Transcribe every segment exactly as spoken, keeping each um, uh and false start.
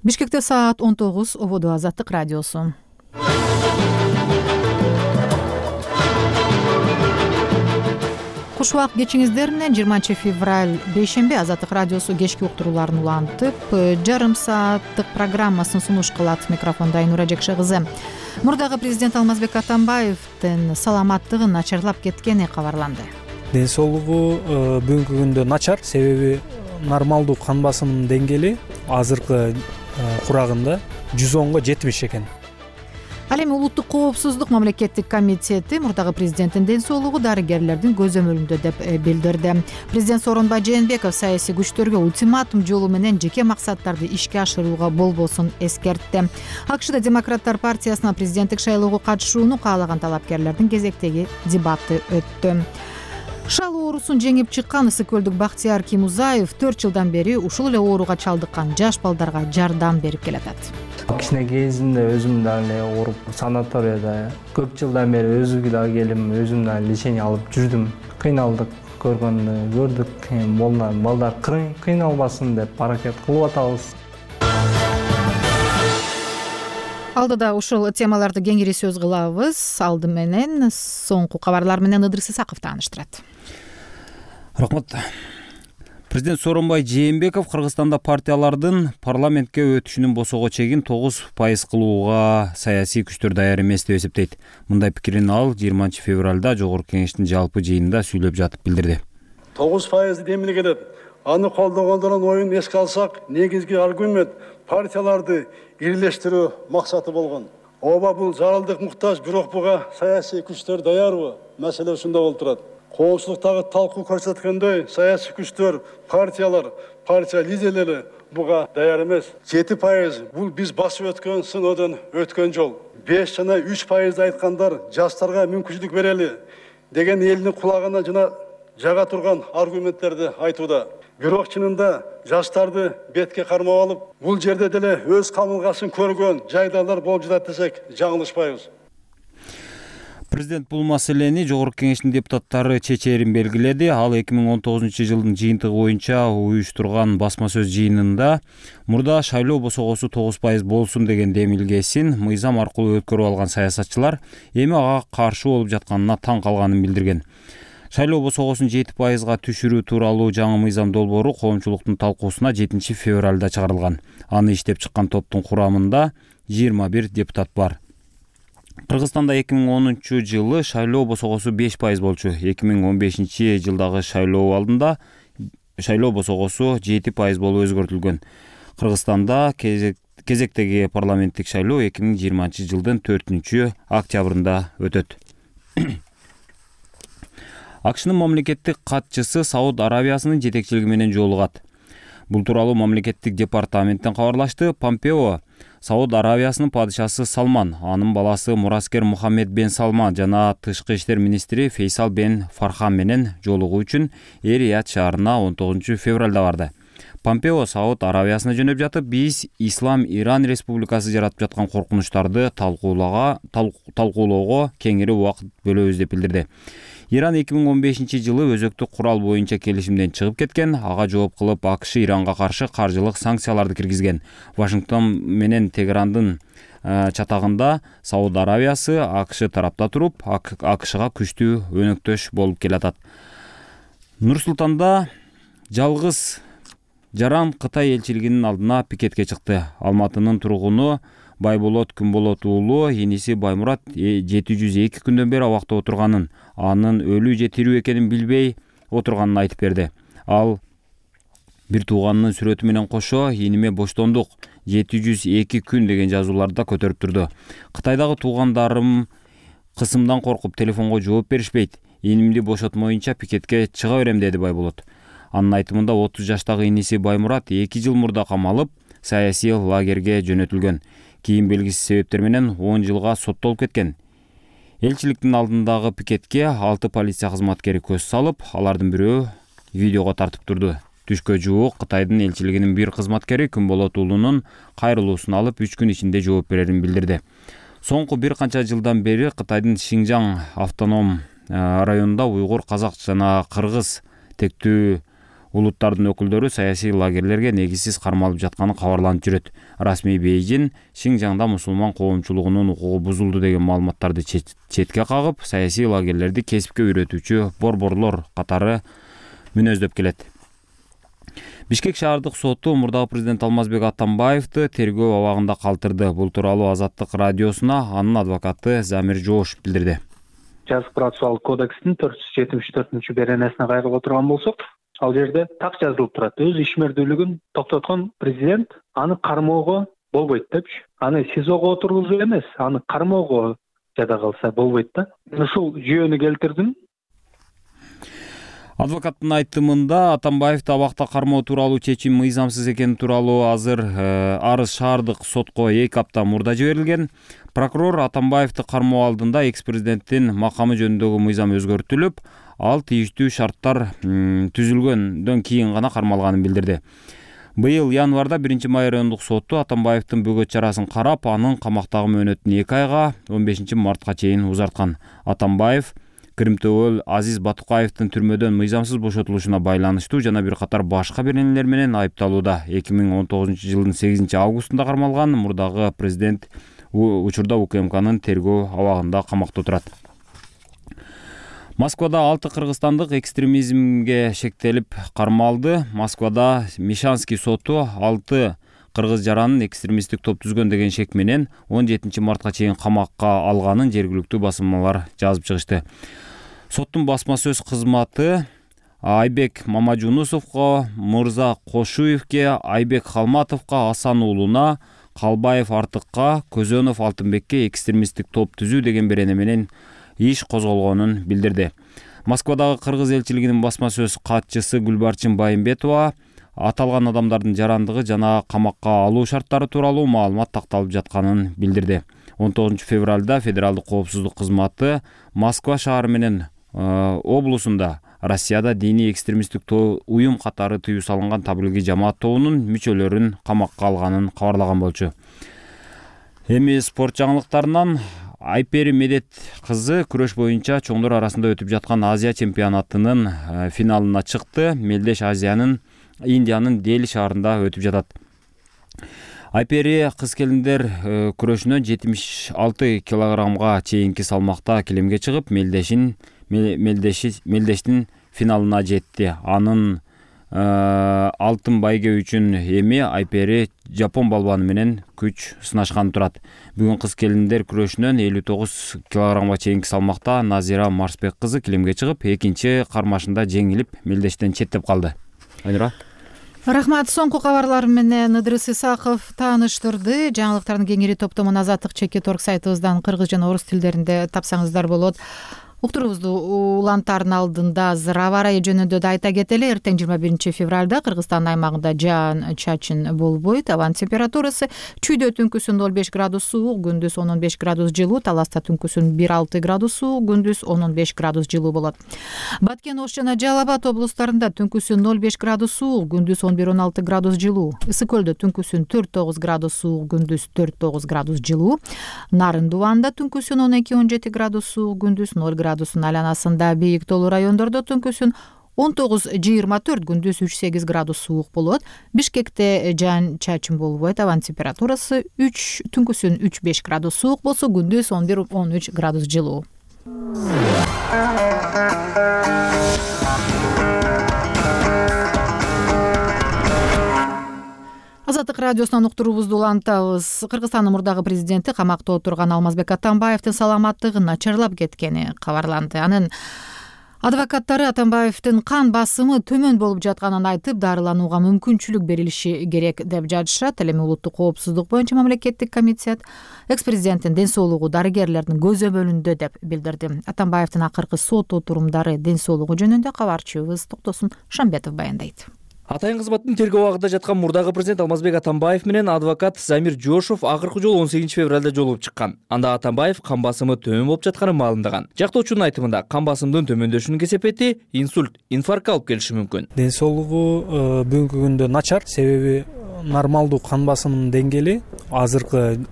Бишкекте саат он тогуз, ободо Азаттык радиосу. Куш убак кечиңиздер менен жыйырманчы февраль бейшемби Азаттык радиосу кечки уктурууларын улантып, жарым сааттык программасын сунуш кылат. Микрофондо Айнура Жекше кызы. Мурдагы президент Алмазбек Атамбаевдин саламаттыгы начарлап кеткени кабарланды. Ден соолугу бүгүнкү күндө начар, себеби нормалдуу кан басымынын деңгээли азыркы курагында жүз онго жетимиш экен. Ал эми улуттук коопсуздук мамлекеттик комитети мурдагы президенттин ден соолугу дарыгерлердин көзөмөлүндө деп билдирди. Президент Сооронбай Жээнбеков саясий күчтөргө ультиматум жолу менен жеке максаттарды ишке ашырууга болбосун эскертти. АКШда Демократтар партиясына президенттик шайлоого катышууну каалаган талапкерлердин кезектеги дебаты өттү. Шал оорусун жеңип чыккан Ысык көлдүк Бактияр Кимузаев төрт жылдан бери ушул эле ооруга чалдыккан жаш балдарга жардам берип келатат. Кичине кезинде өзүм дагы эле ооруп санаторияда көп жылдан бери өзүмгө дагы келим, өзүм дагы лечение алып жүрдүм. Кыйналдык көргөндү көрдүк. Молна балдар кыйналбасын деп аракет кылып атабыз. Алдыда ушул темаларды кеңири сөз кылабыз. Алды менен соңку кабарлар менен Ыдырыс Исаков тааныштырат. Рахмат. Президент Сооронбай Жээнбеков Кыргызстанда партиялардын парламентке өтүшүнүн босого чегин тогуз пайыз кылууга саясий күчтөр даяр эмес деп эсептейт. Мындай пикирин ал жыйырманчы февралда Жогорку Кеңештин жалпы жыйынында сүйлөп жатып билдирди. тогуз пайызды демиле келет. Аны колдогондордун оюн эске алсак, негизги аргумент партияларды ирлештирүү максаты болгон. Ооба бул зарылдык муктаж, бирок буга саясий күчтөр даярбы? Маселе ушунда болуп турат. Коомчулуктагы талкуу көрсөткөндөй, саясий күчтөр, партиялар, партия лидерлери буга даяр эмес. жети пайыз бул биз басып өткөн сыноодон өткөн жол. беш жана үч пайызды айткандар жаштарга мүмкүнчүлүк берели деген элдин кулагына жана жага турган аргументтерди айтууда. Бирок чынында жаштарды бетке кармап алып, бул жерде деле өз камылгасын көргөн жайдарлар болуп жатат десек жаңылышпайбыз. Президент бул маселени Жогорку Кеңештин депутаттары чечээрин белгиледи. Ал эки миң он тогузунчу жылдын жыйынтыгы боюнча уюштурган басма сөз жыйынында мурда шайлоо босогосу тогуз пайыз болсун деген демилгесин мыйзам аркылуу өткөрүп алган саясатчылар эми ага каршы болуп жатканына таң калганын билдирген. Шайлоо босогосун жети пайызга түшүрүү тууралуу жаңы мыйзам долбоору коомчулуктун талкуусуна жетинчи февралда чыгарылган. Аны иштеп чыккан топтун курамында жыйырма бир депутат бар. Кыргызстанда эки миң онунчу жылы шайлоо босогосу беш пайыз болчу. эки миң он бешинчи жылдагы шайлоо алдында шайлоо босогосу жети пайыз болуп өзгөртүлгөн. Кыргызстанда кезектеги парламенттик шайлоо эки миң жыйырманчы жылдын төртүнчү октябрында өтөт. АКШнын мамлекеттик катчысы Сауд Арабиясынын жетекчилиги менен жолугат. Бул тууралуу мамлекеттик департаменттен кабарлашты. Помпео Сауд Арабиясынын падышасы Салман, анын баласы Мураскер Мухаммед бен Салман жана тышкы иштер министри Фейсал бен Фархан менен жолугуу үчүн Эр-Рияд шаарына он тогузунчу февралда барды. Помпео Сауд Арабиясына жөнөп жатып, биз Ислам Иран Республикасы жаратып жаткан коркунучтарды талкуулоого кеңири убакыт бөлөбүз деп билдирди. Иран эки миң он бешинчи жылы өзөктүк курал боюнча келишимден чыгып кеткен. Ага жооп кылып АКШ Иранга каршы каржылык санкцияларды киргизген. Вашингтон менен Тегерандын чатагында Сауд Арабиясы АКШ тарапта туруп, АКШга күчтүү өнөктөш болуп келатат. Нур-Султанда жалгыз жаран Кытай элчилигинин алдына пикетке чыкты. Алматынын тургуну Байболот Күнболот уулу иниси Баймурат жети жүз эки күндөн бери абакта отурганын, анын өлүү же тирүү экенин билбей отурганын айтып берди. Ал бир тууганынын сүрөтү менен кошо иниме боштондук жети жүз эки күн деген жазууларды да көтөрүп турду. Кытайдагы туугандарым кысымдан коркуп телефонго жооп беришпейт. Инимди бошотмоюнча пикетке чыга берем деди Байболот. Анын айтымында отуз жаштагы иниси Баймурат эки жыл мурда камалып, саясий лагерге жөнөтүлгөн. Кийин белгисиз себептер менен он жылга соттолуп кеткен. Элчиликтин алдындагы пикетке алты полиция кызматкери көз салып, алардын бирөө видеого тартып турду. Түшкө жуук Кытайдын элчилигинин бир кызматкери Күнболот уулунун кайрылуусун алып үч күн ичинде жооп берерин билдирди. Соңку бир канча жылдан бери Кытайдын Шинжаң автоном районунда уйгур, казак жана кыргыз тектүү улуттардын өкүлдөрү саясий лагерлерге негизсиз кармалып жатканы кабарланып жүрөт. Расмий Бейжин Шинжаңда мусулман коомчулугунун укугу бузулду деген маалыматтарды четке кагып, саясий лагерлерди кесипке үйрөтүүчү борборлор катары мүнөздөп келет. Бишкек шаардык соту мурдагы президент Алмазбек Атамбаевди тергөө абагында калтырды. Бул тууралуу Азаттык радиосуна анын адвокаты Замир Жоош билдирди. Жазык процессуалдык кодекстин төрт жүз жетимиш төртүнчү беренесине кайрылып отурган болсок, ал жерде так жазылып турат. Өз ишмердүүлүгүн токтоткон президент аны кармоого болбойт депчи. Аны СИЗОго отургузуу эмес, аны кармоого жада калса болбойт да. Ушул жүйөнү келтирдим. Адвокаттын айтымында Атамбаевди абакта кармоо тууралуу чечим мыйзамсыз экени тууралуу азыр арыз шаардык сотко эки апта мурда жиберилген. Прокурор Атамбаевди кармоо алдында экс-президенттин макамы жөнүндөгү мыйзам өзгөртүлүп, ал тийиштүү шарттар түзүлгөндөн кийин гана кармалганын билдирди. Быйыл январда биринчи май райондук соту Атамбаевдин бөгөт чарасын карап, анын камактагы мөөнөтүн эки айга он бешинчи мартка чейин узарткан. Атамбаев Кыримтөбөл Азиз Батукаевдин түрмөдөн мыйзамсыз бошотулушуна байланыштуу жана бир катар башка беренелер менен айыпталууда. эки миң он тогузунчу жылдын сегизинчи августунда кармалган. Мурдагы президент учурда УКМКнын тергөө абагында камакта отурат. Москвада алты кыргызстандык экстремизмге шектелип кармалды. Москвада Мишанский соту алты кыргыз жаранын экстремисттик топ түзгөн деген шек менен он жетинчи мартка чейин камакка алганын жергиликтүү басылмалар жазып чыгышты. Соттун басма сөз кызматы Айбек Мамажунусовго, Мырза Кошуевке, Айбек Халматовго, Асан уулуна, Калбаев Артыкка, Көзөнов Алтынбекке экстремисттик топ түзүү деген берене менен иш козголгонун билдирди. Москвадагы кыргыз элчилигинин басма сөз катчысы Гүлбарчын Байымбетова аталган адамдардын жарандыгы жана камакка алуу шарттары тууралуу маалымат такталып жатканын билдирди. он тогузунчу февралда Федералдык коопсуздук кызматы Москва шаары менен облусунда Россияда диний экстремисттик уюм катары тыюу салынган таблиги жамаат тобунун мүчөлөрүн камакка алганын кабарлаган болчу. Эми спорт жаңылыктарынан Айпери Медет кызы күрөш боюнча чоңдор арасында өтүп жаткан Азия чемпионатынын финалына чыкты. Мелдеш Азиянын Индиянын Дели шаарында өтүп жатат. Айпери кыз келиндер күрөшүнөн жетимиш алты килограммга чейинки салмакта килемге чыгып, Мелдешин Мелдештин финалына жетти. Анын алтын байге үчүн эми Айпери Жапон балбаны менен күч сынашкан турат. Бүгүн кыз келиндер күрөшүнөн элүү тогуз килограммга чейинки салмакта Назира Марсбек кызы килемге чыгып, экинчи кармашында жеңилип, Мелдештен четтеп калды. Айнура. Рахмат. Соңку кабарлар менен Ыдырыс Исаков тааныштырды. Жаңылыктардын кеңири топтомун Азаттык чекит орг сайтыбыздан кыргыз жана орус тилдеринде тапсаңыздар болот. Уктуруубузду улантардын алдында азыр аба ырайы жөнүндө да айта кетели. Эртең жыйырма биринчи февралда Кыргызстандын аймагында жаан чачын болбойт. Абанын температурасы чүйдө түнкүсүн ноль беш градус суук, күндүз он беш градус жылуу, Таласта түнкүсүн бир алты градус суук, күндүз он беш градус жылуу болот. Баткен, Ош жана Жалал Абад облустарында түнкүсүн ноль беш градус суук, күндүз он бир он алты градус жылуу. Ысык көлдө түнкүсүн төрт тогуз градус суук, күндүз төрт тогуз градус жылуу. Нарын Дубанда түнкүсүн он эки он жети градус суук, күндүз ноль градусун айланасында. Бийик тоолуу райондордо түнкүсүн он тогуз жыйырма төрт, күндүз үч сегиз градус суук болот. Бишкекте жаан чачын болбойт. Абанын температурасы үч түнкүсүн үч беш градус суук болсо, күндүз он бир он үч градус жылуу. Азаттык радиосунан уктуруубузду улантабыз. Кыргызстандын мурдагы президенти камакта отурган Алмазбек Атамбаевдин саламаттыгы начарлап кеткени кабарланды. Анын адвокаттары Атамбаевдин кан басымы төмөн болуп жатканын айтып, дарыланууга мүмкүнчүлүк берилиши керек деп жатышат. Эми улуттук коопсуздук боюнча мамлекеттик комитет экс-президенттин ден соолугу дарыгерлердин көзөмөлүндө деп билдирди. Атамбаевдин акыркы сот отурумдары ден соолугу жөнүндө кабарчыбыз Токтосун Шамбетов баяндайт. Атайын кызматтын тергөө абагында жаткан мурдагы президент Алмазбек Атамбаев менен адвокат Замир Жошов акыркы жолу он сегизинчи февралда жолугуп чыккан. Анда Атамбаев кан басымы төмөн болуп жатканын маалымдаган. Жактоочунун айтымында кан басымдын төмөндөшүнүн кесепети инсульт, инфарктка алып келиши мүмкүн. Ден соолугу бүгүнкү күндө начар, себеби нормалдуу кан басымынын деңгээли азыркы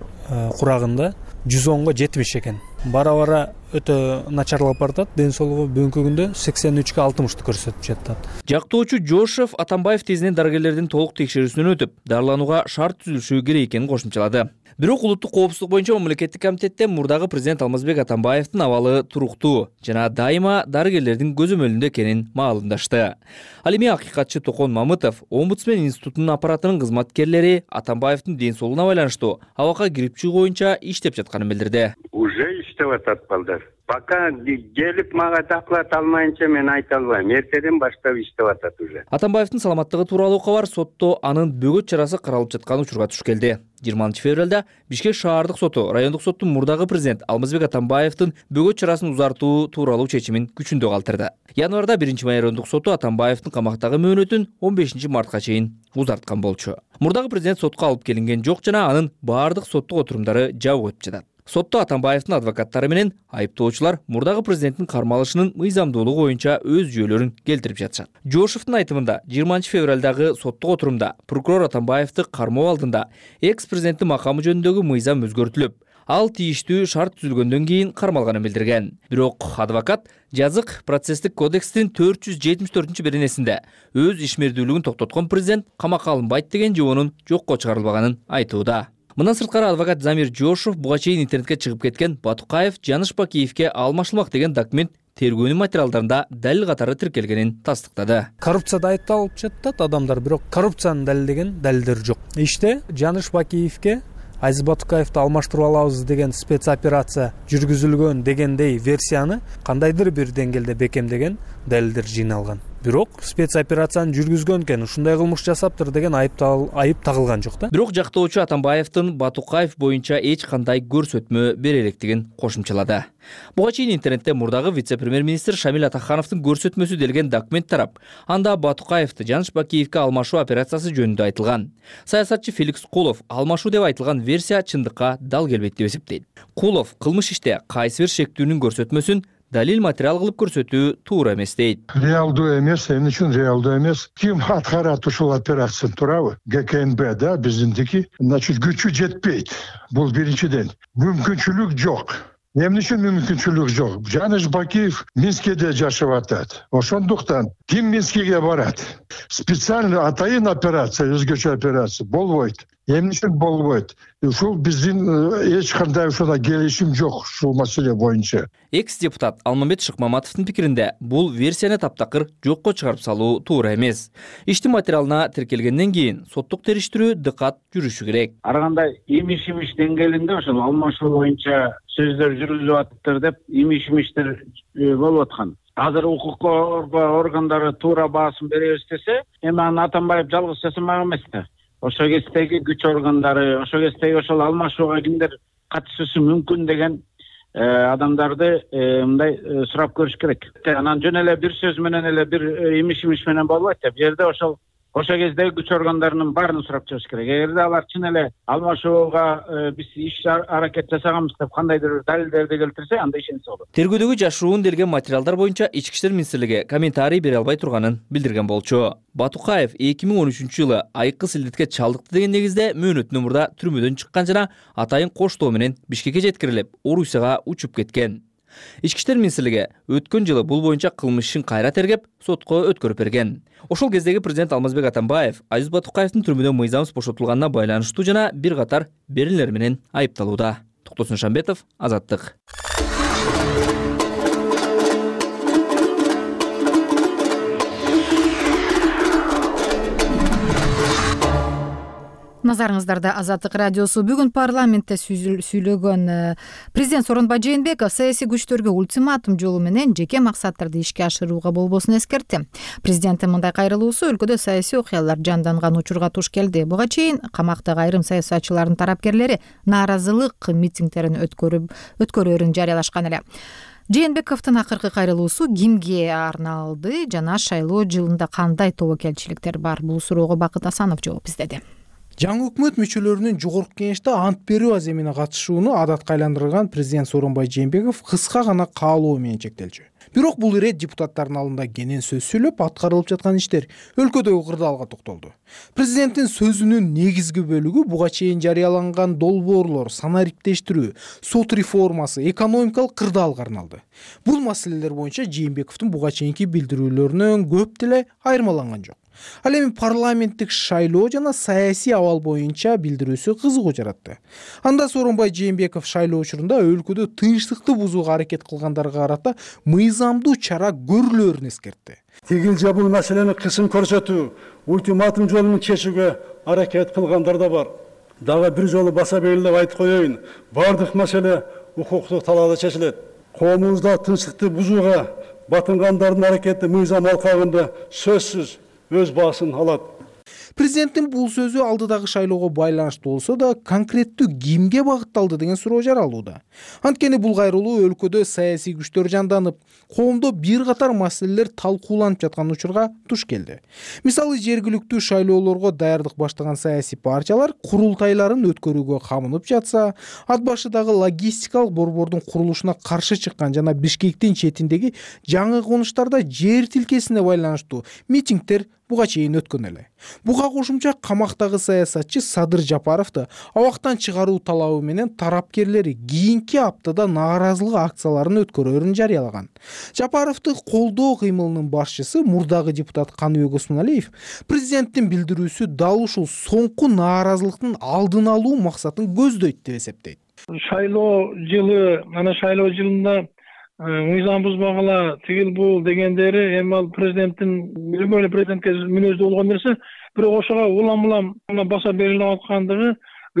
курагында жүз онго жетимиш экен. бара бара өтө начарлап баратат. Ден соолугу бүгүнкү күндө сексен үчкө алтымышты көрсөтүп жатат. Жактоочу Жошов Атамбаев тезинен дарыгерлердин толук текшерүүсүнөн өтүп, дарыланууга шарт түзүлүшү керек экенин кошумчалады. Бирок улуттук коопсуздук боюнча мамлекеттик комитетте мурдагы президент Алмазбек Атамбаевдин абалы туруктуу жана дайыма дарыгерлердин көзөмөлүндө экенин маалымдашты. Ал эми акыйкатчы Токон Мамытов Омбудсмен институтунун аппаратынын кызматкерлери Атамбаевдин ден соолугуна байланыштуу абакка кирип чыгуу боюнча иштеп жатканын билдирди. Уже иштеп атат балдар. Пока келип мага доклад алмайынча мен айта албайм. Эртеден баштап иштеп атат уже. Атамбаевдин саламаттыгы тууралуу кабар сотто анын бөгөт чарасы каралып жаткан учурга туш келди. жыйырманчы февралда Бишкек шаардык соту райондук соттун мурдагы президент Алмазбек Атамбаевдин бөгөт чарасын узартуу тууралуу чечимин күчүндө калтырды. Январда биринчи май райондук соту Атамбаевдин камактагы мөөнөтүн он бешинчи мартка чейин узарткан болчу. Мурдагы президент сотко алып келинген жок жана анын баардык соттук отурумдары жабык өтүп жатат. Сотто Атамбаевдин адвокаттары менен айыптоочулар мурдагы президенттин кармалышынын мыйзамдуулугу боюнча өз жүйөлөрүн келтирип жатышат. Жошовдун айтымында жыйырманчы февралдагы соттук отурумда прокурор Атамбаевди кармоо алдында экс-президенттин макамы жөнүндөгү мыйзам өзгөртүлүп, ал тийиштүү шарт түзүлгөндөн кийин кармалганын билдирген. Бирок адвокат жазык процесстик кодекстин төрт жүз жетимиш төртүнчү беренесинде өз ишмердүүлүгүн токтоткон президент камакка алынбайт деген жоонун жокко чыгарылбаганын айтууда. Мындан сырткары адвокат Замир Жошов буга чейин интернетке чыгып кеткен Батукаев Жаныш Бакиевке алмашылмак деген документ тергөөнүн материалдарында далил катары тиркелгенин тастыктады. Коррупцияда айыпталып жатат адамдар, бирок коррупцияны далилдеген далилдер жок. Иште Жаныш Бакиевке Азиз Батукаевди алмаштырып алабыз деген спецоперация жүргүзүлгөн дегендей версияны кандайдыр бир деңгээлде бекемдеген далилдер жыйналган. Бирок спецоперацияны жүргүзгөн экен, ушундай кылмыш жасаптыр деген айып айып тагылган жок да. Бирок жактоочу Атамбаевдин Батукаев боюнча эч кандай көрсөтмө бере электигин кошумчалады. Буга чейин интернетте мурдагы вице-премьер-министр Шамил Атахановдун көрсөтмөсү делген документ тарап, анда Батукаевди Жаныш Бакиевке алмашуу операциясы жөнүндө айтылган. Саясатчы Феликс Кулов алмашуу деп айтылган версия чындыкка дал келбейт деп эсептейт. Кулов кылмыш иште кайсы бир шектүүнүн көрсөтмөсүн далил материал кылып көрсөтүү туура эмес дейт. Реалдуу эмес, эмне үчүн реалдуу эмес? Ким аткарат ушул операцияны, туурабы? ГКНБ да, биздиники. Значит, күчү жетпейт. Бул биринчиден. Мүмкүнчүлүк жок. Эмне үчүн мүмкүнчүлүк жок? Жаныш Бакиев Минскеде жашап атат. Ошондуктан ким Минскеге барат? Специально атайын операция, өзгөчө операция болбойт. Эмне үчүн болбойт? Ушул биздин эч кандай ушуна келишим жок ушул маселе боюнча. Экс-депутат Алмамбет Шыкмаматовдун пикиринде бул версияны таптакыр жокко чыгарып салуу туура эмес. Иштин материалына тиркелгенден кийин соттук териштирүү дыкат жүрүшү керек. Ар кандай имиш-имиш деңгээлинде ошол алмашуу боюнча сөздөр жүргүзүп атыптыр деп имиш-имиштер болуп аткан. Азыр укук коргоо органдары туура баасын беребиз десе, эми аны Атамбаев жалгыз жасамак эмес да. Ошо кездеги күч органдары, ошо кездеги ошол алмашууга кимдер катышышы мүмкүн деген адамдарды мындай сурап көрүш керек. Анан жөн эле бир сөз менен эле бир имиш-имиш менен болбойт да. Бу жерде ошол ошо кездеги күч органдарынын баарын сурап чыгыш керек. Эгерде алар чын эле алмашууга биз иш аракет жасаганбыз деп кандайдыр далилдерди келтирсе, анда ишенсе болот. Тергөөдөгү жашыруун делген материалдар боюнча Ички иштер министрлиги комментарий бере албай турганын билдирген болчу. Батукаев эки миң он үчүнчү жылы айыккы силдетке чалдыкты деген негизде мөөнөтүнөн мурда түрмөдөн чыккан жана атайын коштоо менен Бишкекке жеткирилип, Орусияга учуп кеткен. Ички иштер министрлиги өткөн жылы бул боюнча кылмыш ишин кайра тергеп, сотко өткөрүп берген. Ошол кездеги президент Алмазбек Атамбаев Азиз Батукаевдин түрмөдөн мыйзамсыз бошотулганына байланыштуу жана бир катар беренелер менен айыпталууда. Токтосун Шамбетов, Азаттык. Назарыңыздарда Азаттык радиосу. Бүгүн парламентте сүйлөгөн президент Сооронбай Жээнбеков саясий күчтөргө ультиматум жолу менен жеке максаттарды ишке ашырууга болбосун эскертти. Президенттин мындай кайрылуусу өлкөдө саясий окуялар жанданган учурга туш келди. Буга чейин камактагы айрым саясатчылардын тарапкерлери нааразылык митингдерин өткөрүп өткөрөөрүн жарыялашкан эле. Жээнбековдун акыркы кайрылуусу кимге арналды жана шайлоо жылында кандай тобокелчиликтер бар? Бул суроого Бакыт Асанов жооп издеди. жаңы өкмөт мүчөлөрүнүн жогорку кеңеште ант берүү аземине катышууну адатка айландырган президент Сооронбай Жээнбеков кыска гана каалоо менен чектелчү. Бирок бул ирет депутаттардын алдында кенен сөз сүйлөп, аткарылып жаткан иштер, өлкөдөгү кырдаалга токтолду. Президенттин сөзүнүн негизги бөлүгү буга чейин жарыяланган долбоорлор, сана ириктештирүү, сот реформасы, экономикалык кырдаалга арналды. Бул маселелер боюнча Жээнбековдун буга чейинки билдирүүлөрүнөн көп деле айырмаланган жок. Ал эми парламенттик шайлоо жана саясий абал боюнча билдирүүсү кызыгуу жаратты. Анда Сооронбай Жээнбеков шайлоо учурунда өлкөдө тынчтыкты бузууга аракет кылгандарга карата мыйзамдуу чара көрүлөөрүн эскертти. Тигил же бул маселени кысым көрсөтүү, ультиматум жолун чечүүгө аракет кылгандар да бар. Дагы бир жолу баса белгилеп айтып коеюн, бардык маселе укуктук талаада чечилет. Коомубузда тынчтыкты бузууга батынгандардын аракети мыйзам алкагында сөзсүз өз баасын алат. Президенттин бул сөзү алдыдагы шайлоого байланыштуу болсо да, конкреттүү кимге багытталды деген суроо жаралууда. Анткени бул кайрылуу өлкөдө саясий күчтөр жанданып, коомдо бир катар маселелер талкууланып жаткан учурга туш келди. Мисалы, жергиликтүү шайлоолорго даярдык баштаган саясий партиялар курултайларын өткөрүүгө камынып жатса, ат башыдагы логистикалык борбордун курулушуна каршы чыккан жана Бишкектин четиндеги жаңы конуштарда жер тилкесине байланыштуу митингдер буга чейин өткөн эле. Буга кошумча камактагы саясатчы Садыр Жапаровду абактан чыгаруу талабы менен тарапкерлери кийинки аптада нааразылык акцияларын өткөрөөрүн жарыялаган. Жапаровду колдоо кыймылынын башчысы мурдагы депутат Каныбек Осмоналиев президенттин билдирүүсү дал ушул соңку нааразылыктын алдын алуу максатын көздөйт деп эсептейт. Шайлоо жылы, ана шайлоо жылында мыйзам бузбагыла, тигил бул дегендери эми ал президенттин любой президентке мүнөздүү болгон нерсе, бирок ошого улам улам баса берилип аткандыгы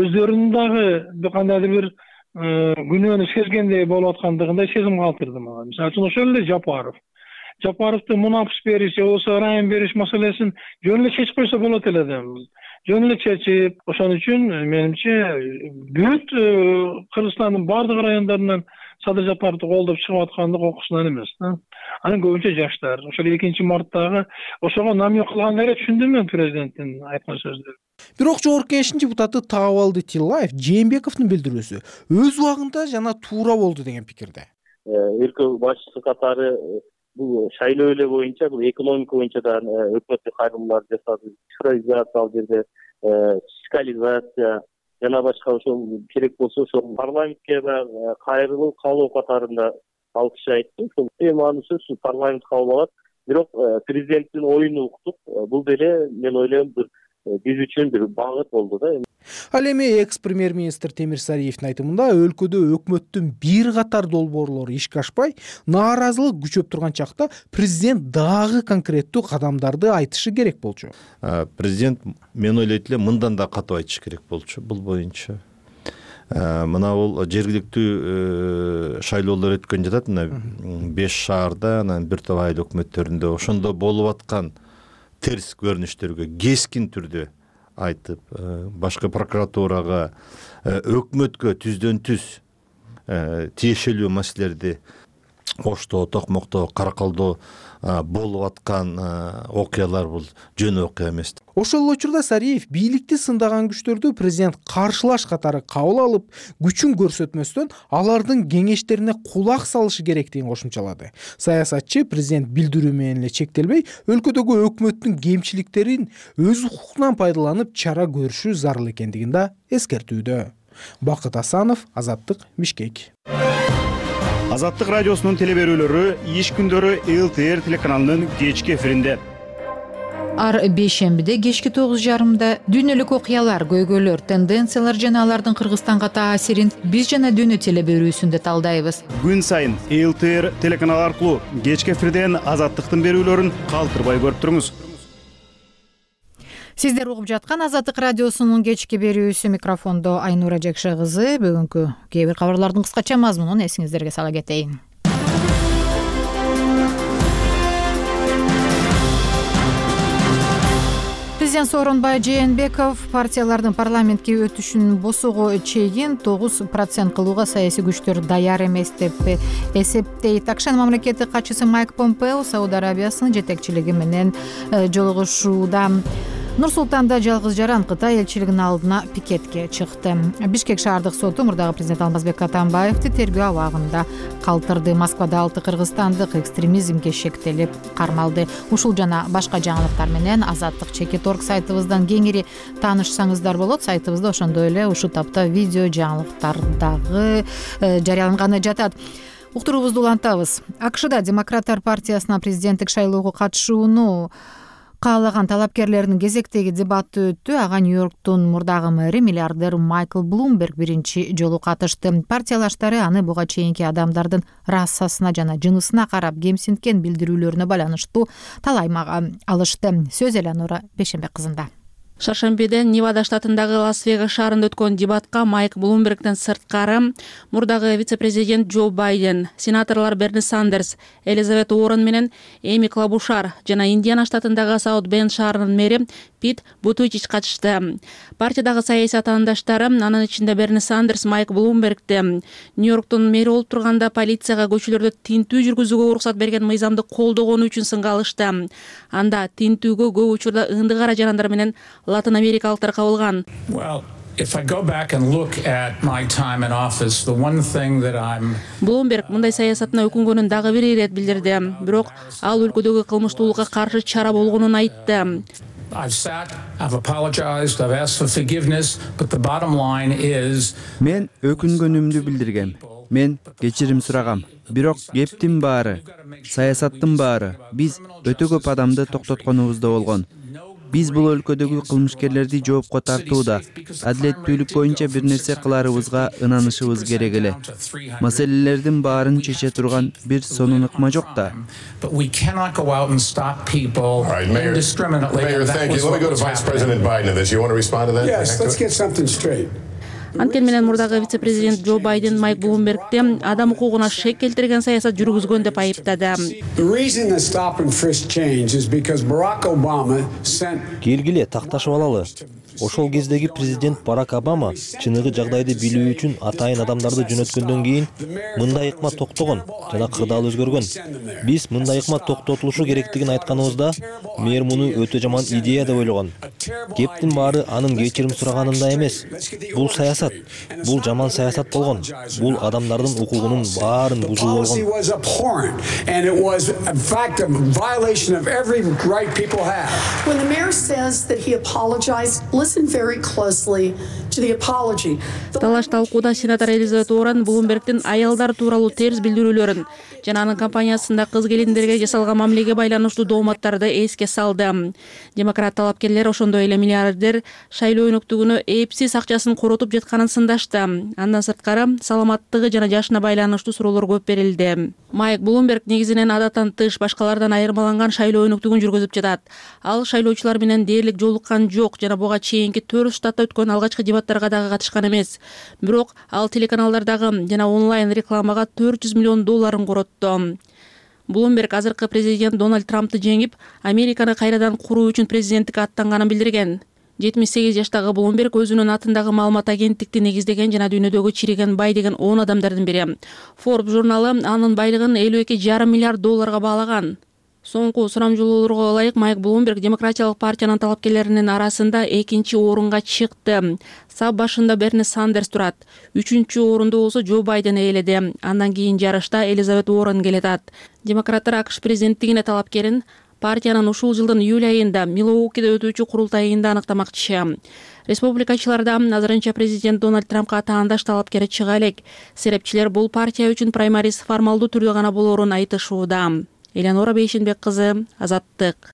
өздөрүнүн дагы кандайдыр бир күнөөнү сезгендей болуп аткандыгындай сезим калтырды мага. Мисалы үчүн ошол эле Жапаров. Жапаровду мунапс бериш же болбосо райым бериш маселесин жөн эле чечип койсо болот эле да. Жөн эле чечип, ошон үчүн менимче бүт Кыргызстандын бардык райондорунан Садыр Жапаровду колдоп чыгып аткандык окуусунан эмес да. Анын көбүнчө жаштар. Ошол экинчи марттагы ошого намек кылган эле түшүндүм мен президенттин айткан сөздөрүн. Бирок жогорку кеңештин депутаты Таабалды Тиллаев Жээнбековдун билдирүүсү өз убагында жана туура болду деген пикирде. Өлкө башчысы катары бул шайлоо эле боюнча, бул экономика боюнча да өкмөттүк кайрылуулар жасады, цифровизация ал жерде, фискализация жана башка ошол керек болсо ошол парламентке да кайрылуу каалоо катарында ал киши айтты. Ошол эми анын сөзсүз парламент кабыл алат. Бирок президенттин оюн уктук. Бул деле мен ойлойм бир биз үчүн бир багыт болду да. Ал эми экс-премьер-министр Темир Сариевдин айтымында өлкөдө өкмөттүн бир катар долбоорлору ишке ашпай, нааразылык күчөп турган чакта президент дагы конкреттүү кадамдарды айтышы керек болчу. Президент мен ойлойт элем мындан да катуу айтыш керек болчу бул боюнча. Мына бул жергиликтүү шайлоолор өткөн жатат, мына беш шаарда, анан бир топ айыл өкмөттөрүндө ошондо болуп аткан терс көрүнүштөргө кескин түрдө айтып, башкы прокуратурага, өкмөткө түздөн түз тиешелүү маселелерди Оштоо, Токмоктоо, Каракалдоо болуп аткан окуялар бул жөн окуя эмес. Ошол учурда Сариев бийликти сындаган күчтөрдү президент каршылаш катары кабыл алып, күчүн көрсөтмөстөн алардын кеңештерине кулак салышы керектигин кошумчалады. Саясатчы президент билдирүү менен эле чектелбей, өлкөдөгү өкмөттүн кемчиликтерин өз укугунан пайдаланып чара көрүшү зарыл экендигин да эскертүүдө. Бакыт Асанов, Азаттык, Бишкек. Азаттык радиосунун телеберүүлөрү иш күндөрү эл тэ эр телеканалынын кечки эфиринде. Ар бейшембиде кечки тогуз жарымда дүйнөлүк окуялар, көйгөйлөр, тенденциялар жана алардын Кыргызстанга таасирин биз жана дүйнө телеберүүсүндө талдайбыз. Күн сайын эл тэ эр телеканалы аркылуу кечки эфирден Азаттыктын берүүлөрүн калтырбай көрүп туруңуз. Сиздер угуп жаткан Азаттык радиосунун кечки берүүсү, микрофондо Айнура Жекше кызы. Бүгүнкү кээ бир кабарлардын кыскача мазмунун эсиңиздерге сала кетейин. Президент Сооронбай Жээнбеков партиялардын парламентке өтүшүн босого чейин тогуз процент кылууга саясий күчтөр даяр эмес деп эсептейт. Акшан мамлекеттик катчысы Майк Помпео Сауд Арабиясынын жетекчилиги менен жолугушууда. Нур Султанда жалгыз жаран Кытай элчилигинин алдына пикетке чыкты. Бишкек шаардык соту мурдагы президент Алмазбек Атамбаевди тергөө абагында калтырды. Москвада алты кыргызстандык экстремизмге шектелип кармалды. Ушул жана башка жаңылыктар менен Азаттык чекит точка орг сайтыбыздан кеңири таанышсаңыздар болот. Сайтыбызда ошондой эле ушул тапта видео жаңылыктардагы жарыяланганы жатат. Уктуруубузду улантабыз. АКШда Демократтар партиясына президенттик шайлоого катышууну каалаган талапкерлердин кезектеги дебаты өттү. Ага Нью-Йорктун мурдагы мэри миллиардер Майкл Блумберг биринчи жолу катышты. Партиялаштары аны буга чейинки адамдардын расасына жана жынысына карап кемсинткен билдирүүлөрүнө байланыштуу талаймага алышты. Сөз Элеонора Бейшенбек кызында. Шаршембиде Невада штатындагы Лас-Вегас шаарында өткөн дебатка Майк Блумбергден сырткары мурдагы вице-президент Джо Байден, сенаторлор Берни Сандерс, Элизабет Уоррен менен Эми Клабушар жана Индиана штатындагы Саут Бенд шаарынын мэри Пит Бутичич катышты. Партиядагы саясий атаандаштары, анын ичинде Берни Сандерс, Майк Блумбергди Нью-Йорктун мэри болуп турганда полицияга көчөлөрдө тинтүү жүргүзүүгө уруксат берген мыйзамды колдогону үчүн сынга алышты. Анда тинтүүгө көп учурда ынды кара жарандар менен Латын америкалыктар кабылган. Блумберг мындай саясатына өкүнгөнүн дагы бир ирет билдирди. Бирок ал өлкөдөгү кылмыштуулукка каршы чара болгонун айтты. Мен өкүнгөнүмдү билдиргем. Мен кечирим сурагам. Бирок кептин баары, саясаттын баары биз өтө көп адамды токтотконубузда болгон. Биз бул өлкөдөгү кылмышкерлерди жоопко тартууда, адилеттүүлүк боюнча бир нерсе кыларыбызга ынанышыбыз керек эле. Маселелердин баарын чече турган бир сонун ыкма жок да. Анткени менен мурдагы вице-президент Джо Байден Майк Блумбергди адам укугуна шек келтирген саясат жүргүзгөн деп айыптады. Келгиле такташып алалы. Ошол кездеги президент Барак Обама чыныгы жагдайды билүү үчүн атайын адамдарды жөнөткөндөн кийин мындай ыкма токтогон жана кырдаал өзгөргөн. Биз мындай ыкма токтотулушу керектигин айтканыбызда мэр муну өтө жаман идея деп ойлогон. Кептин баары анын кечирим сураганында эмес. Бул саясат, бул жаман саясат болгон. Бул адамдардын укугунун баарын бузуу болгон. When the mayor says that he apologized, listen very closely to the apology. Талаш талкууда сенатор Элизабет Уоррен Блумбергдин аялдар тууралуу терс билдирүүлөрүн жана анын компаниясында кыз келиндерге жасалган мамилеге байланыштуу дооматтарды эске салды. Демократ талапкерлер ошондой эле миллиардер шайлоо өнөктүгүнө эпсиз акчасын коротуп жатканын сындашты. Андан сырткары саламаттыгы жана жашына байланыштуу суроолор көп берилди. Майк Блумберг негизинен адаттан тыш башкалардан айырмаланган шайлоо өнөктүгүн жүргүзүп жатат. Ал шайлоочулар менен дээрлик жолуккан жок жана буга чейинки төрт штатта өткөн алгачкы дебаттарга дагы катышкан эмес. Бирок ал телеканалдардагы жана онлайн рекламага төрт жүз миллион долларын коротту. Блумберг азыркы президент Дональд Трампты жеңип, Американы кайрадан куруу үчүн президенттикке аттанганын билдирген. жетимиш сегиз жаштагы Блумберг өзүнүн атындагы маалымат агенттикти негиздеген жана дүйнөдөгү чириген бай деген он адамдардын бири. Forbes журналы анын байлыгын элүү эки жарым миллиард долларга баалаган. Соңку сурамжылоолорго ылайык Майк Блумберг Демократиялык партиянын талапкерлеринин арасында экинчи орунга чыкты. Сап башында Берни Сандерс турат. Үчүнчү орунду болсо Джо Байден ээледи. Андан кийин жарышта Элизабет Уоррен келатат. Демократтар АКШ президенттигине талапкерин партиянын ушул жылдын июль айында Милуокиде өтүүчү курултайында аныктамакчы. Республикачыларда азырынча президент Дональд Трампка таандаш талапкери чыга элек. Серепчилер бул партия үчүн праймариз формалдуу түрдө гана болоорун айтышууда. Элеонора Бейшенбек кызы, Азаттык.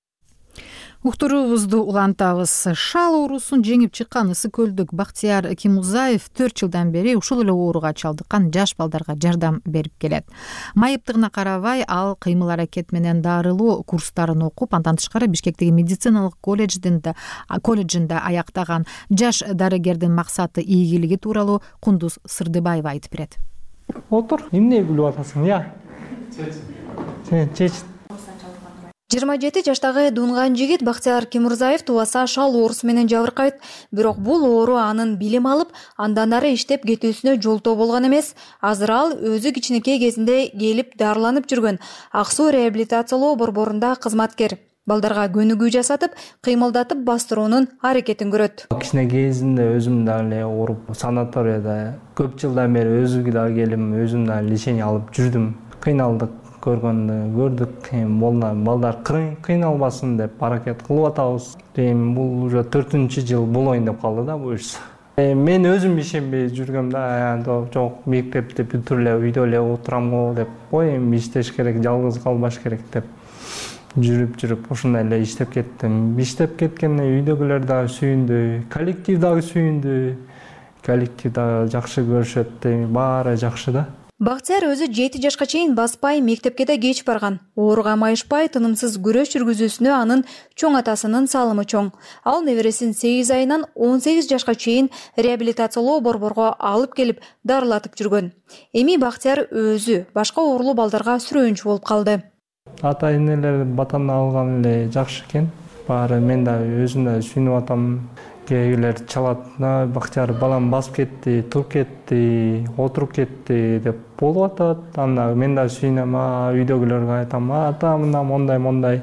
Уктуруубузду улантабыз. Шал оорусун жеңип чыккан Ысык көлдүк Бактияр Кимузаев төрт жылдан бери ушул эле ооруга чалдыккан жаш балдарга жардам берип келет. Майыптыгына карабай, ал кыймыл аракет менен дарылоо курстарын окуп, андан тышкары Бишкектеги медициналык колледжинде колледжинде аяктаган. Жаш дарыгердин максаты ийгилиги тууралуу Кундуз Сырдыбаева айтып берет. Отур, эмне билип атасың, я? Сен чеч. жыйырма жети жаштагы дунган жигит Бактияр Кимурзаев тубаса шал оорусу менен жабыркайт. Бирок бул оору анын билим алып, андан ары иштеп кетүүсүнө жолтоо болгон эмес. Азыр ал өзү кичинекей кезинде келип дарыланып жүргөн Ак Суу реабилитациялоо борборунда кызматкер. балдарга көнүгүү жасатып, кыймылдатып бастыруунун аракетин көрөт. Кичине кезинде өзүм дагы эле ооруп, санаторияда көп жылдан бери өзүмгө дагы келим, өзүм дагы лечение алып жүрдүм. Кыйналдык көргөндү көрдүк. Балдар кыйналбасын деп аракет кылып атабыз. Эми бул уже төртүнчү жыл болоюн деп калды да буюрса. Мен өзүм ишенбей жүргөм да, жок мектепти бүтүрүп эле үйдө эле отурам го деп, ой эми иштеш керек, жалгыз калбаш керек деп жүрүп жүрүп ушундай эле иштеп кеттим. Иштеп кеткенде үйдөгүлөр дагы сүйүндү, коллектив дагы сүйүндү. Коллектив дагы жакшы көрүшөт, баары жакшы да. Бактияр өзү жети жашка чейин баспай, мектепке да кеч барган. Ооруга майышпай, тынымсыз күрөш жүргүзүүсүнө анын чоң атасынын салымы чоң. Ал небересин сегиз айынан он сегиз жашка чейин реабилитациялоо борборго алып келип, дарылатып жүргөн. Эми Бактияр өзү башка оорулуу балдарга сүрөөнчү болуп калды. Ата энелер батаны алган эле жакшы экен. Баары мен да өзүм да сүйүнүп атам. Кээбирлер чалат, Бактияр балам басып кетти, туруп кетти, отуруп кетти деп болуп атат. Анда мен да сүйүнөм, үйдөгүлөргө айтам, ата мына мондай мондай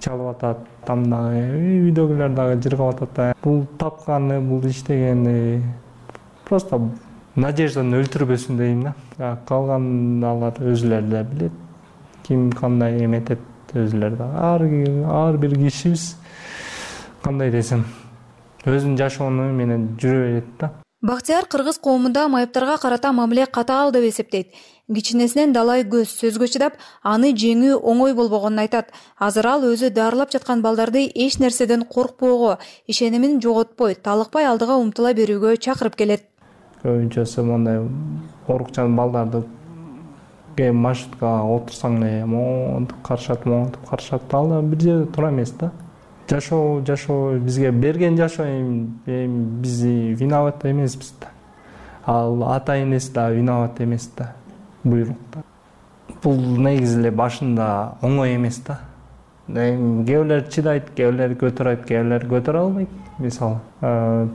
чалып атат. Анда үйдөгүлөр дагы жыргап атат. Бул тапканы, бул иштегени просто надежданы өлтүрбөсүн дейм да. Калган алар өзүлөрү да билет. Ким кандай эметет өзүлөрү да. Ар бир кишибиз кандай десем өзүнүн жашоону менен жүрө берет да. Бактияр кыргыз коомунда майыптарга карата мамиле катаал деп эсептейт. Кичинесинен далай көз сөзгө чыдап, аны жеңүү оңой болбогонун айтат. Азыр ал өзү дарылап жаткан балдарды эч нерседен коркпоого, ишенимин жоготпой, талыкпай алдыга умтула берүүгө чакырып келет. Көбүнчөсү мондай оорукчан балдарды маршруткага отурсаң эле монтип карашат, монтип карашат. Ал бир жерде тура эмес да. Жашоо, жашоо бизге берген жашоо эми биз виноват эмеспиз да. Ал ата энеси да виноват эмес да. Буйрукта. Бул негизи эле башында оңой эмес да. Эми кээ бирлер чыдайт, кээ бирлер көтөрөйт, кээ бирлер көтөрө албайт. Мисалы,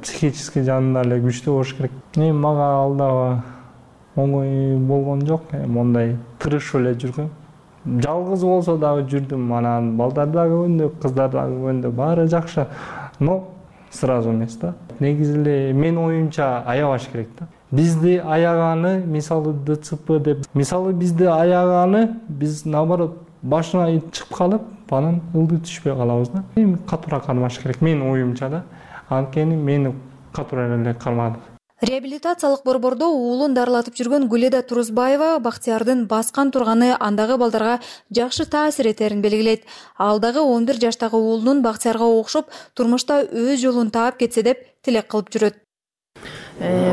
психический жагынан эле күчтүү болуш керек. Эми мага ал дагы оңой болгон жок. Мондай тырышып эле жүргөм. Жалгыз болсо дагы жүрдүм, анан балдар дагы көндү, кыздар дагы көндү, баары жакшы. Но сразу эмес да. Негизи эле мен оюмча аябаш керек да. Бизди аяганы, мисалы ДЦП деп, мисалы бизди аяганы, биз наоборот башына чыгып калып, анан ылдый түшпөй калабыз да. Эми катуура кармаш керек, мен оюмча да. Анткени мени катуура эле кармады. Реабилитациялык борбордо уулун дарылатып жүргөн Гүледа Турузбаева Бактиярдын баскан турганы андагы балдарга жакшы таасир этерин белгилейт. Ал дагы он бир жаштагы уулунун Бактиярга окшоп турмушта өз жолун таап кетсе деп тилек кылып жүрөт.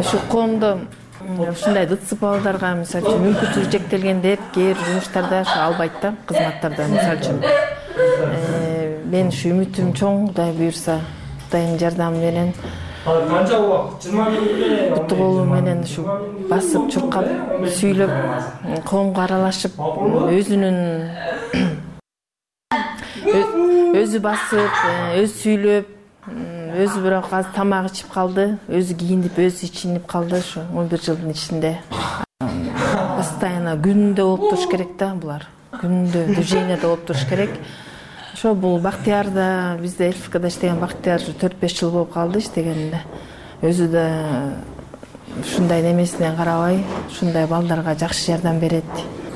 Ушу коомдо ушундай ДЦП балдарга мисалы үчүн мүмкүнчүлүгү чектелген деп кээ бир жумуштарда албайт да, кызматтарда мисалы үчүн. Мен ушу үмүтүм чоң, Кудай буйрса, Кудайдын жардамы менен канча убакыт жыйырма минут буту колу менен ушу басып чуркап сүйлөп коомго аралашып өзүнүн өзү басып өзү сүйлөп өзү бирок азыр тамак ичип калды, өзү кийинип өзү ичинип калды. Ушу он бир жылдын ичинде постоянно күнүндө болуп туруш керек да, булар күнүндө движенияда болуп туруш керек. Ошо бул Бактияр да бизде ЛФКда иштеген Бактияр төрт беш жыл болуп калды иштегенине. Өзү да ушундай немесине карабай, ушундай балдарга жакшы жардам берет.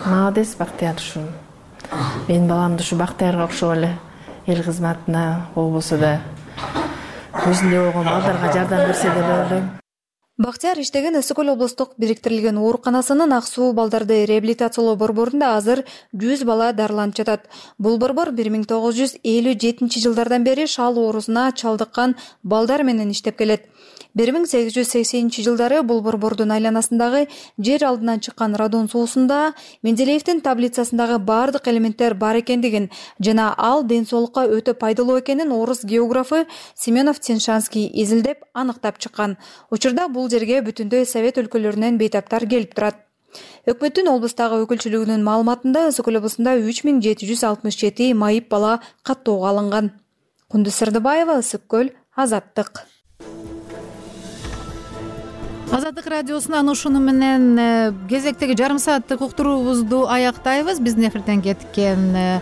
Молодец Бактияр. Ушу менин баламды ушу Бактиярга окшоп эле эл кызматына болбосо да өзүндөй болгон балдарга жардам берсе деп ойлойм. Бактияр иштеген Ысык Көл облустук бириктирилген ооруканасынын Ак суу балдарды реабилитациялоо борборунда азыр жүз бала дарыланып жатат. Бул борбор бир миң тогуз жүз элүү жетинчи жылдардан бери шал оорусуна чалдыккан балдар менен иштеп келет. бир миң сегиз жүз сексенинчи жылдары бул борбордун айланасындагы жер алдынан чыккан радон суусунда Менделеевдин таблицасындагы бардык элементтер бар экендигин жана ал ден соолукка өтө пайдалуу экенин орус географы Семенов Теншанский изилдеп аныктап чыккан. Учурда бул жерге бүтүндөй Совет өлкөлөрүнөн бейтаптар келип турат. Өкмөттүн облустагы өкүлчүлүгүнүн маалыматында Ысык Көл облусунда үч миң жети жүз алтымыш жети майып бала каттоого алынган. Кундуз Сырдыбаева, Ысык Көл, Азаттык. Азаттык радиосунан ушуну менен кезектеги жарым сааттык уктуруубузду аяктайбыз. Биздин эфирден кеткен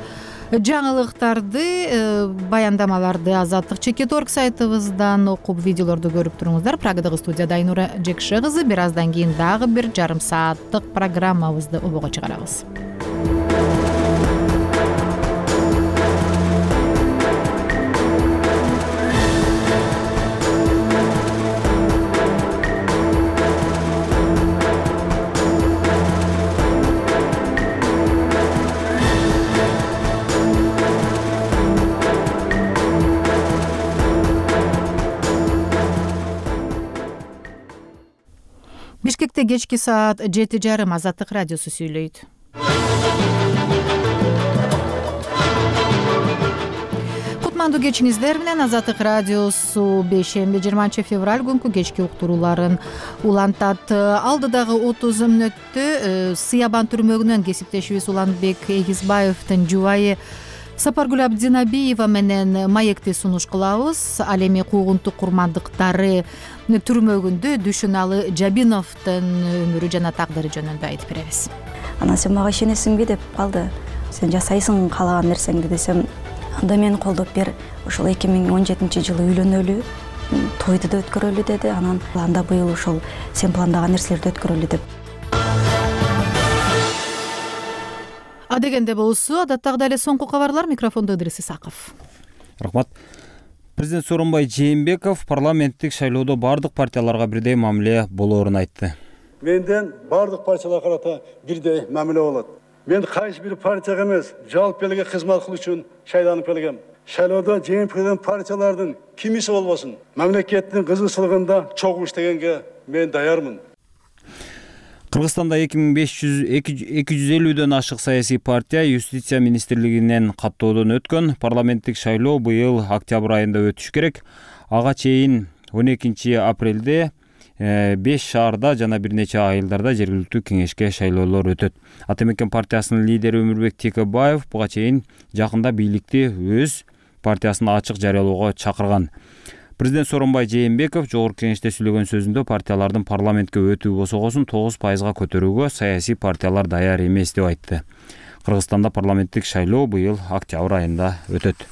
жаңылыктарды, баяндамаларды азаттык чекит орг сайтыбыздан окуп, видеолорду көрүп туруңуздар. Прагадагы студияда Айнура Жекше кызы. Бир аздан кийин дагы бир жарым сааттык программабызды обого чыгарабыз. Бишкекте кечки саат жети жарым Азаттык радиосу сүйлөйт. Кутмандуу кечиңиздер менен Азаттык радиосу бейшемби жыйырманчы февраль күнкү кечки уктурууларын улантат. Алдыдагы отуз мүнөттө Сыябан түрмөгүнөн кесиптешибиз Уланбек Эгизбаевдин жубайы Сапаргүл Абдинабиева менен маекти сунуш кылабыз. Ал эми куугунтук курмандыктары түрмөгүндө Дүшүналы Жабиновдун өмүрү жана тагдыры жөнүндө айтып беребиз. Анан сен мага ишенесиңби деп калды. Сен жасайсың каалаган нерсеңди десем, анда мени колдоп бер. Ошол эки миң он жетинчи жылы үйлөнөлү, тойду да өткөрөлү деди. Анан анда быйыл ошол сен пландаган нерселерди өткөрөлү деп. Адегенде болсу, адаттагыдай эле соңку кабарлар. Микрофондо Ыдырыс Исаков. Рахмат. Президент Сооронбай Жээнбеков парламенттик шайлоодо бардык партияларга бирдей мамиле болоорун айтты. Менден бардык партияларга карата бирдей мамиле болот. Мен кайсы бир партияга эмес, жалпы элге кызмат кылуу үчүн шайланып келгем. Шайлоодо жеңип келген партиялардын кимиси болбосун, мамлекеттин кызыкчылыгында чогуу иштегенге мен даярмын. Кыргызстанда эки миң беш жүз эки жүз элүүдөн ашык саясий партия Юстиция министрлигинен каттоодон өткөн. Парламенттик шайлоо быйыл октябрь айында өтүш керек. Ага чейин он экинчи апрелде беш шаарда жана бир нече айылдарда жергиликтүү кеңешке шайлоолор өтөт. Ата Мекен партиясынын лидери Өмүрбек Текебаев буга чейин жакында бийликти өз партиясын ачык жарыялоого чакырган. Президент Сооронбай Жээнбеков жогорку кеңеште сүйлөгөн сөзүндө партиялардын парламентке өтүү босогосун тогуз пайызга көтөрүүгө саясий партиялар даяр эмес деп айтты. Кыргызстанда парламенттик шайлоо быйыл октябрь айында өтөт.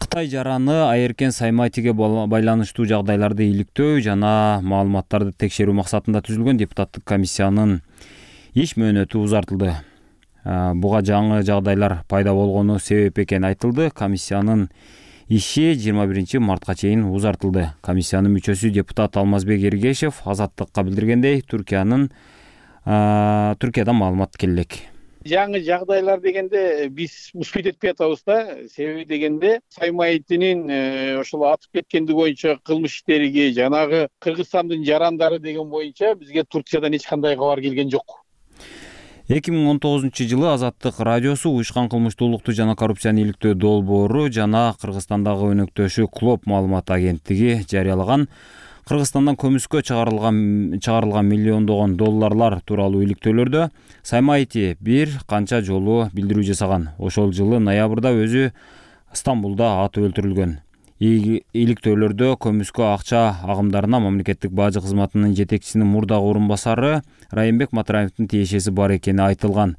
Кытай жараны Айеркен Саймайтиге байланыштуу жагдайларды иликтөө жана маалыматтарды текшерүү максатында түзүлгөн депутаттык комиссиянын иш мөөнөтү узартылды. Буга жаңы жагдайлар пайда болгону себеп экени айтылды. Комиссиянын иши жыйырма биринчи мартка чейин узартылды. Комиссиянын мүчөсү депутат Алмазбек Эргешев Азаттыкка билдиргендей, Түркиянын Түркиядан маалымат келелек. Жаңы жагдайлар дегенде биз успейт этпей атабыз да. Себеби дегенде Саймайтинин ошол атып кеткендиги боюнча кылмыш иштериги, жанагы Кыргызстандын жарандары деген боюнча бизге Туркиядан эч кандай кабар келген жок. эки миң он тогузунчу жылы Азаттык радиосу уюшкан кылмыштуулукту жана коррупцияны иликтөө долбоору жана Кыргызстандагы өнөктөшү Клоп маалымат агенттиги жарыялаган Кыргызстандан көмүскө чыгарылган чыгарылган миллиондогон долларлар тууралуу иликтөөлөрдө Саймайти бир канча жолу билдирүү жасаган. Ошол жылы ноябрда өзү Стамбулда атып өлтүрүлгөн. Иликтөөлөрдө көмүскө акча агымдарына мамлекеттик бажы кызматынын жетекчисинин мурдагы орун басары Райымбек Матраевдин тиешеси бар экени айтылган.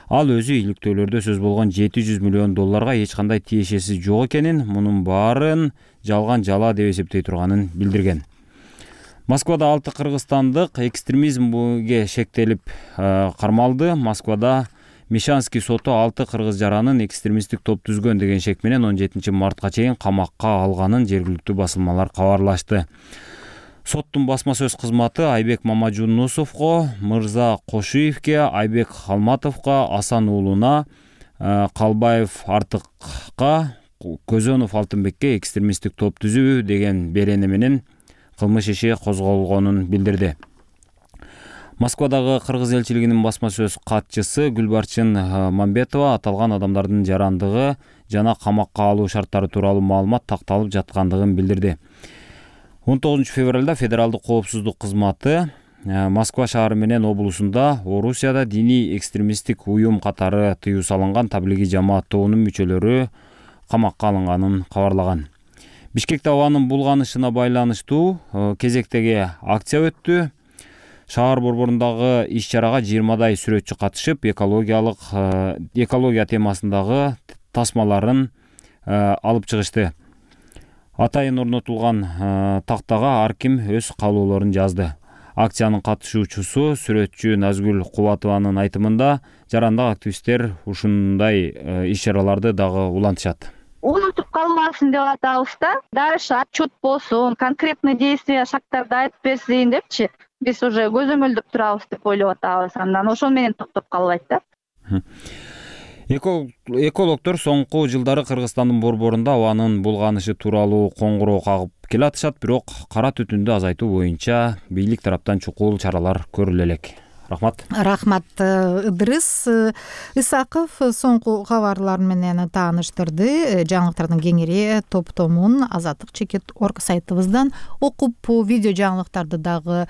Ал өзү иликтөөлөрдө сөз болгон жети жүз миллион долларга эч кандай тиешеси жок экенин, мунун баарын жалган жала деп эсептей турганын билдирген. Москвада алты кыргызстандык экстремизмге шектелип кармалды. Москвада Мишанский соту алты кыргыз жаранын экстремисттик топ түзгөн деген шек менен он жетинчи мартка чейин камакка алганын жергиликтүү басылмалар кабарлашты. Соттун басма сөз кызматы Айбек Мамажунусовго, Мырза Кошуевке, Айбек Халматовго, Асан уулуна, Калбаев Артыкка, Көзөнов Алтынбекке экстремисттик топ түзүү деген берени менен кылмыш иши козголгонун билдирди. Москвадагы кыргыз элчилигинин басма сөз катчысы Гүлбарчын Мамбетова аталган адамдардын жарандыгы жана камакка алуу шарттары тууралуу маалымат такталып жаткандыгын билдирди. он тогузунчу февралда федералдык коопсуздук кызматы Москва шаары менен облусунда Орусияда диний экстремисттик уюм катары тыюу салынган таблиги жамаат тобунун мүчөлөрү камакка алынганын кабарлаган. Бишкекте абанын булганышына байланыштуу кезектеги акция өттү. Шаар борборундагы иш чарага жыйырмадай сүрөтчү катышып, экологиялык экология темасындагы тасмаларын алып чыгышты. Атайын орнотулган тактага ар ким өз каалоолорун жазды. Акциянын катышуучусу сүрөтчү Назгүл Кубатованын айтымында, жарандык активисттер ушундай иш чараларды дагы улантышат. Унутуп калбасын деп атабыз да. Дальше отчет болсун, конкретный действия, шарттарды айтып берсин депчи. Биз уже көзөмөлдөп турабыз деп ойлоп атабыз. Андан ошол менен токтоп калбайт да. Экологдор соңку жылдары Кыргызстандын борборунда абанын булганышы тууралуу коңгуроо кагып келатышат, бирок кара түтүндү азайтуу боюнча бийлик тараптан чукул чаралар көрүлө элек. Рахмат. Рахмат. Ыдырыс Исаков соңку кабарлар менен тааныштырды. Жаңылыктардын кеңири топтомун Азаттык чекит орг сайтыбыздан окуп, видео жаңылыктарды дагы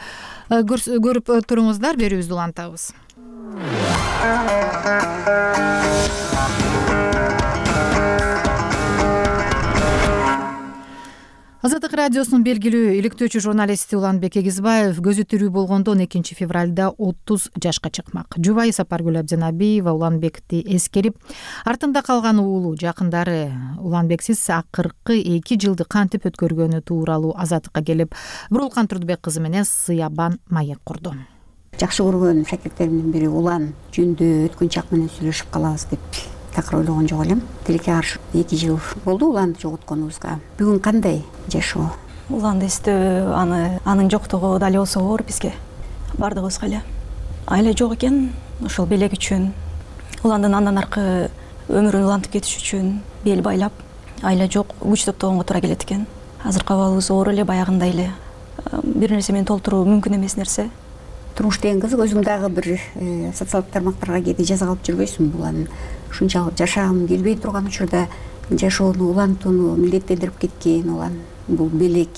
көрүп туруңуздар. Берүүбүздү улантабыз. Азаттык радиосунун белгилүү иликтөөчү журналисти Уланбек Эгизбаев көзү тирүү болгондо он экинчи февралда отуз жашка чыкмак. Жубайы Сапаргүл Абдинабиева Уланбекти эскерип, артында калган уулу, жакындары Уланбексиз акыркы эки жылды кантип өткөргөнү тууралуу Азаттыкка келип, Бурулкан Турдубек кызы менен сыябан маек курду. Жакшы көргөн шакирттеримдин бири Улан жөнүндө өткөн чак менен сүйлөшүп калабыз деп такыр ойлогон жок элем. Тилекке каршы эки жыл болду Уланды жоготконубузга. Бүгүн кандай жашоо? Уланды эстөө, аны анын жоктугу дал болсо оор бизге, бардыгыбызга эле. Айла жок экен, ошол белек үчүн, Уландын андан аркы өмүрүн улантып кетиш үчүн бел байлап, айла жок, күч топтогонго туура келет экен. Азыркы абалыбыз оор эле, баягындай эле. Бир нерсе менен толтуруу мүмкүн эмес нерсе. Турмуш деген кызык, өзүң дагы бир социалдык тармактарга кээде жаза калып жүрбөйсүңбү? Улан ушунчалык жашагым келбей турган учурда жашоону улантууну милдеттендирип кеткен Улан. Бул белек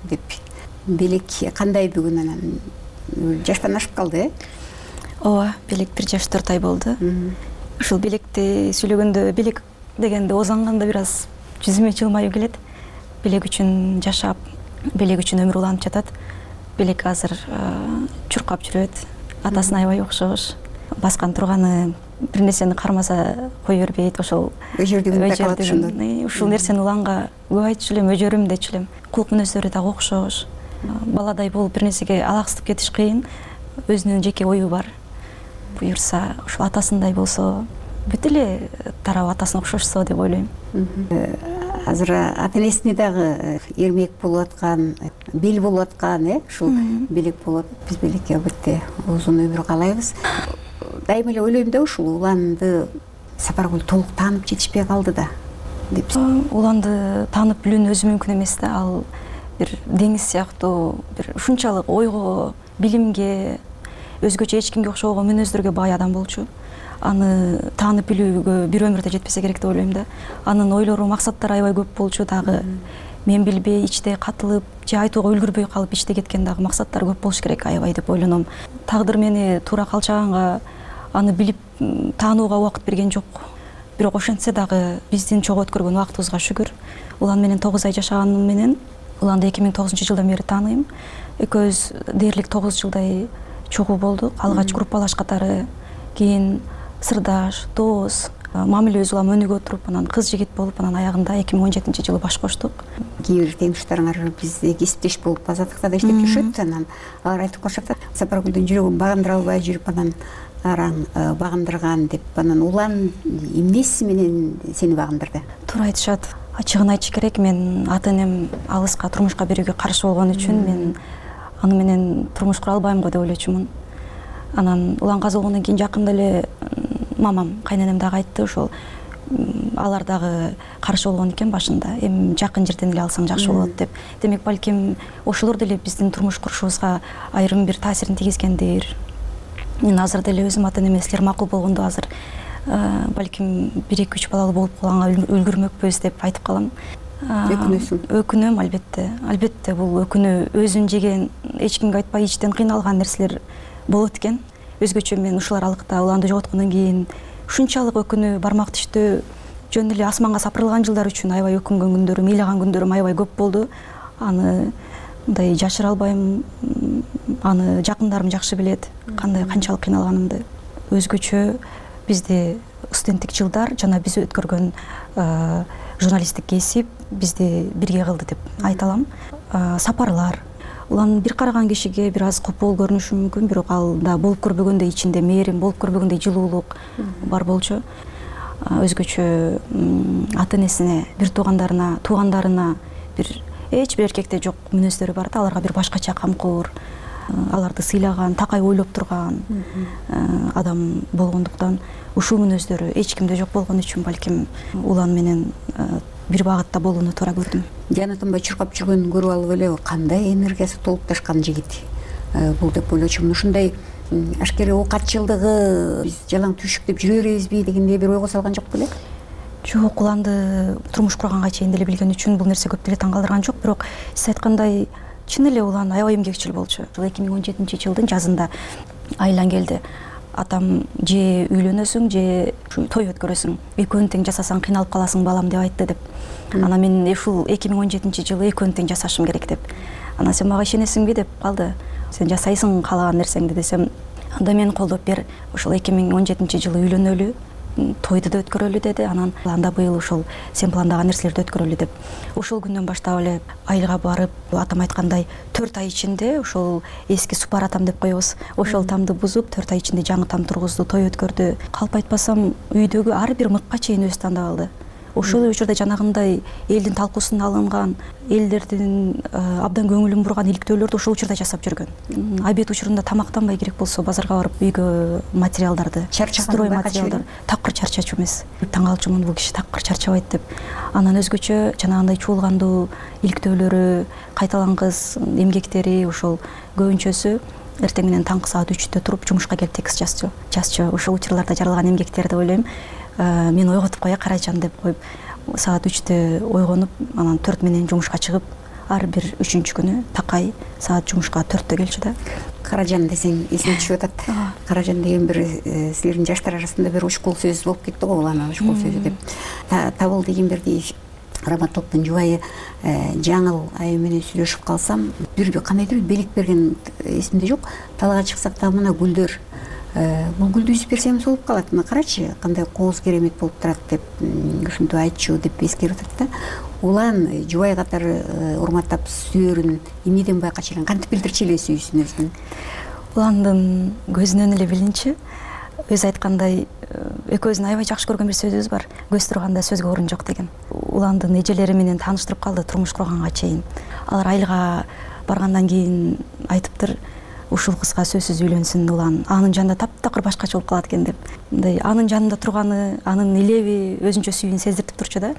деп. Белек кандай бүгүн анан жаштан ашып калды, э? Ооба, белек бир жаш төрт ай болду. Ушул белекти сүйлөгөндө, белек дегенде озанганда бир аз жүзүмө жылмаюу келет. Белек үчүн жашап, белек үчүн өмүр уланып жатат. Белек азыр чуркап жүрөт, атасына аябай окшош. Баскан турганы бир нерсени кармаса кое бербейт, ошол өжөрдүгүн. Ушул нерсени Уланга көп айтчу элем, өжөрүм дечү элем. Кулк мүнөздөрү дагы окшош. Баладай болуп бир нерсеге алаксытып кетиш кыйын. Өзүнүн жеке ою бар. Буюрса, ушул атасындай болсо, бүт эле тарабы атасына окшошсо деп ойлойм. Азыр ата-энесине дагы эрмек болуп аткан, бел болуп аткан, э, ушул белек болот. Биз белекке албетте узун өмүр каалайбыз. Дайыма эле ойлойм да, ушул Уланды Сапаргүл толук таанып жетишпей калды да деп. Уланды таанып билүүнү өзү мүмкүн эмес да, ал бир деңиз сыяктуу, бир ушунчалык ойго, билимге, өзгөчө эч кимге окшогон мүнөздөргө бай адам болчу. Аны таанып билүүгө бир өмүрдө жетпесе керек деп ойлойм да. Анын ойлору, максаттары аябай көп болчу дагы. Мен билбей, ичте катылып, же айтууга үлгүрбөй калып ичте кеткен дагы максаттары көп болуш керек аябай деп ойлоном. Тагдыр мени туура калчаганга аны билип таанууга убакыт берген жок. Бирок ошентсе дагы биздин чогуу өткөргөн убактыбызга шүгүр. Улан менен тогуз ай жашаганым менен Уланды эки миң тогузунчу жылдан бери тааныйм. Экөөбүз дээрлик тогуз жылдай чогуу болдук. Алгач группалаш катары, кийин сырдаш, дос, мамилебиз улам өнүгө туруп, анан кыз жигит болуп, анан аягында эки миң он жетинчи жылы баш коштук. Кээ бир теңдештериңер бизде кесиптеш болуп Азаттыкта да иштеп жүрүшөт, анан алар айтып калышат, Сапаргүлдүн жүрөгүн багындыра албай жүрүп, анан араң багындырган деп. Анан Улан эмнеси менен сени багындырды? Туура айтышат. Ачыгын айтыш керек, мен ата-энем алыска турмушка берүүгө каршы болгон үчүн мен аны менен турмуш кура албайм го деп ойлочумун. Анан Улан каза болгондон кийин жакында эле мамам, кайненем дагы айтты, ошол алар дагы каршы болгон экен башында. Эми жакын жерден эле алсаң жакшы болот деп. Демек, балким ошолор деле биздин турмуш курушубузга айрым бир таасирин тийгизгендир. Мен азыр деле өзүм ата-энеме силер макул болгондо азыр балким бир эки үч балалуу болуп калганга үлгүрмөкпүз деп айтып калам. Өкүнөсүң? Өкүнөм, албетте. Албетте бул өкүнүү өзүн жеген, эч кимге айтпай ичтен кыйналган нерселер болот экен. Өзгөчө мен ушул аралыкта Уланды жоготкондон кийин ушунчалык өкүнүү, бармак тиштөө, жөн эле асманга сапырылган жылдар үчүн аябай өкүнгөн күндөрүм, ыйлаган күндөрүм аябай көп болду. Аны мындай жашыра албайм. аны жакындарым жакшы билет, кандай канчалык кыйналганымды. Өзгөчө бизде студенттик жылдар жана биз өткөргөн журналисттик кесип бизди бирге кылды деп айта алам. Сапарлар, улам бир караган кишиге бир аз копол көрүнүшү мүмкүн, бирок ал да болуп көрбөгөндөй ичинде мээрим, болуп көрбөгөндөй жылуулук бар болчу. Өзгөчө ата энесине, бир туугандарына, туугандарына бир эч бир эркекте жок мүнөздөрү бар да, аларга бир башкача камкор, аларды сыйлаган, такай ойлоп турган адам болгондуктан ушул мүнөздөрү эч кимде жок болгон үчүн балким улан менен бир багытта болууну туура көрдүм. Жана тынбай чуркап жүргөнүн көрүп алып эле кандай энергиясы толуп ташкан жигит бул деп ойлочумун. Ушундай ашкере оокатчылдыгы биз жалаң түшүк деп жүрө беребизби дегендей бир ойго салган жок беле? Жок, уланды турмуш курганга чейин деле билген үчүн бул нерсе көп деле таң калтырган жок, бирок сиз айткандай чын эле улан аябай эмгекчил болчу. эки миң он жетинчи жылдын жазында айлан келди. Атам же үйлөнөсүң, же той өткөрөсүң, экөөнү тең жасасаң кыйналып каласың балам деп айтты деп. Анан мен ушул эки миң он жетинчи жылы экөөнү тең жасашым керек деп. Анан сен мага ишенесиңби деп калды. Сен жасайсың каалаган нерсеңди десем, анда мени колдоп бер, ушул эки миң он жетинчи жылы үйлөнөлү, тойду да өткөрөлү деди. Анан анда быйыл ушул сен пландаган нерселерди өткөрөлү деп. Ошол күндөн баштап эле айылга барып, атам айткандай төрт ай ичинде ошол эски супар атам деп коебуз, ошол тамды бузуп төрт ай ичинде жаңы там тургузду, той өткөрдү. Калп айтпасам үйдөгү ар бир мыкка чейин өзү тандап алды. Ошол учурда жанагындай элдин талкуусуна алынган, элдердин абдан көңүлүн бурган иликтөөлөрдү ошол учурда жасап жүргөн. Обед учурунда тамактанбай керек болсо базарга барып үйгө материалдарды, строй материалдар, такыр чарчачу эмес. Таң калчумун, бул киши такыр чарчабайт деп. Анан өзгөчө жанагындай чуулгандуу иликтөөлөрү, кайталангыс эмгектери ошол көбүнчөсү эртең менен таңкы саат үчтө туруп жумушка келип текст жазчу. Жазчу. Ошол учурларда жаралган эмгектер деп ойлойм. Мен ойготуп коя каражан деп коюп, саат үчтө ойгонуп, анан төрт менен жумушка чыгып, ар бир үчүнчү күнү такай саат жумушка төрттө келчү да. Каражан десең эсиме түшүп атат. Каражан деген бир силердин жаштар арасында бир учкул сөз болуп кетти го, улан учкул сөзү деп. Табыл Дегенбердиев Раматовдун жубайы жаңыл айым менен сүйлөшүп калсам, бир кандайдыр белек берген эсимде жок. Талга чыксак да мына гүлдөр, бул гүлдү үзүп берсем болуп калат. Мына карачы, кандай кооз керемет болуп турат деп ушинтип айтчу деп эскерип атат да. Улан жубай катары урматтап сүйөрүн эмнеден байкачу элең, кантип билдирчү эле сүйүүсүн өзүнүн? Уландын көзүнөн эле билинчи. Өзү айткандай, экөөбүздүн аябай жакшы көргөн бир сөзүбүз бар. Көз турганда сөзгө орун жок деген. Уландын эжелери менен тааныштырып калды турмуш курганга чейин. Алар айылга баргандан кийин айтыптыр, ушул кызга сөзсүз үйлөнсүн улан, анын жанында таптакыр башкача болуп калат экен деп. Мындай анын жанында турганы, анын илеби өзүнчө сүйүүн сездиртип турчу да.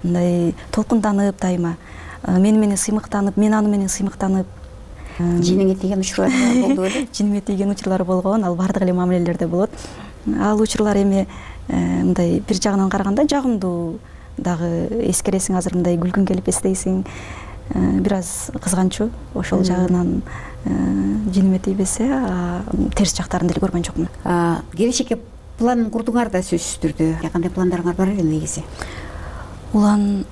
Мындай толкунданып дайыма, мени менен сыймыктанып, мен аны менен сыймыктанып. Жиниңе тийген учурлар болду беле? Жиниме тийген учурлар болгон, ал бардык эле мамилелерде болот. Ал учурлар эми мындай бир жагынан караганда жагымдуу дагы эскересиң, азыр мындай күлгүң келип эстейсиң. Бир аз кызганчу, ошол жагынан жиниме тийбесе, терс жактарын деле көргөн жокмун. Келечекке план курдуңар да сөзсүз түрдө. Кандай пландарыңар бар эле негизи? Улан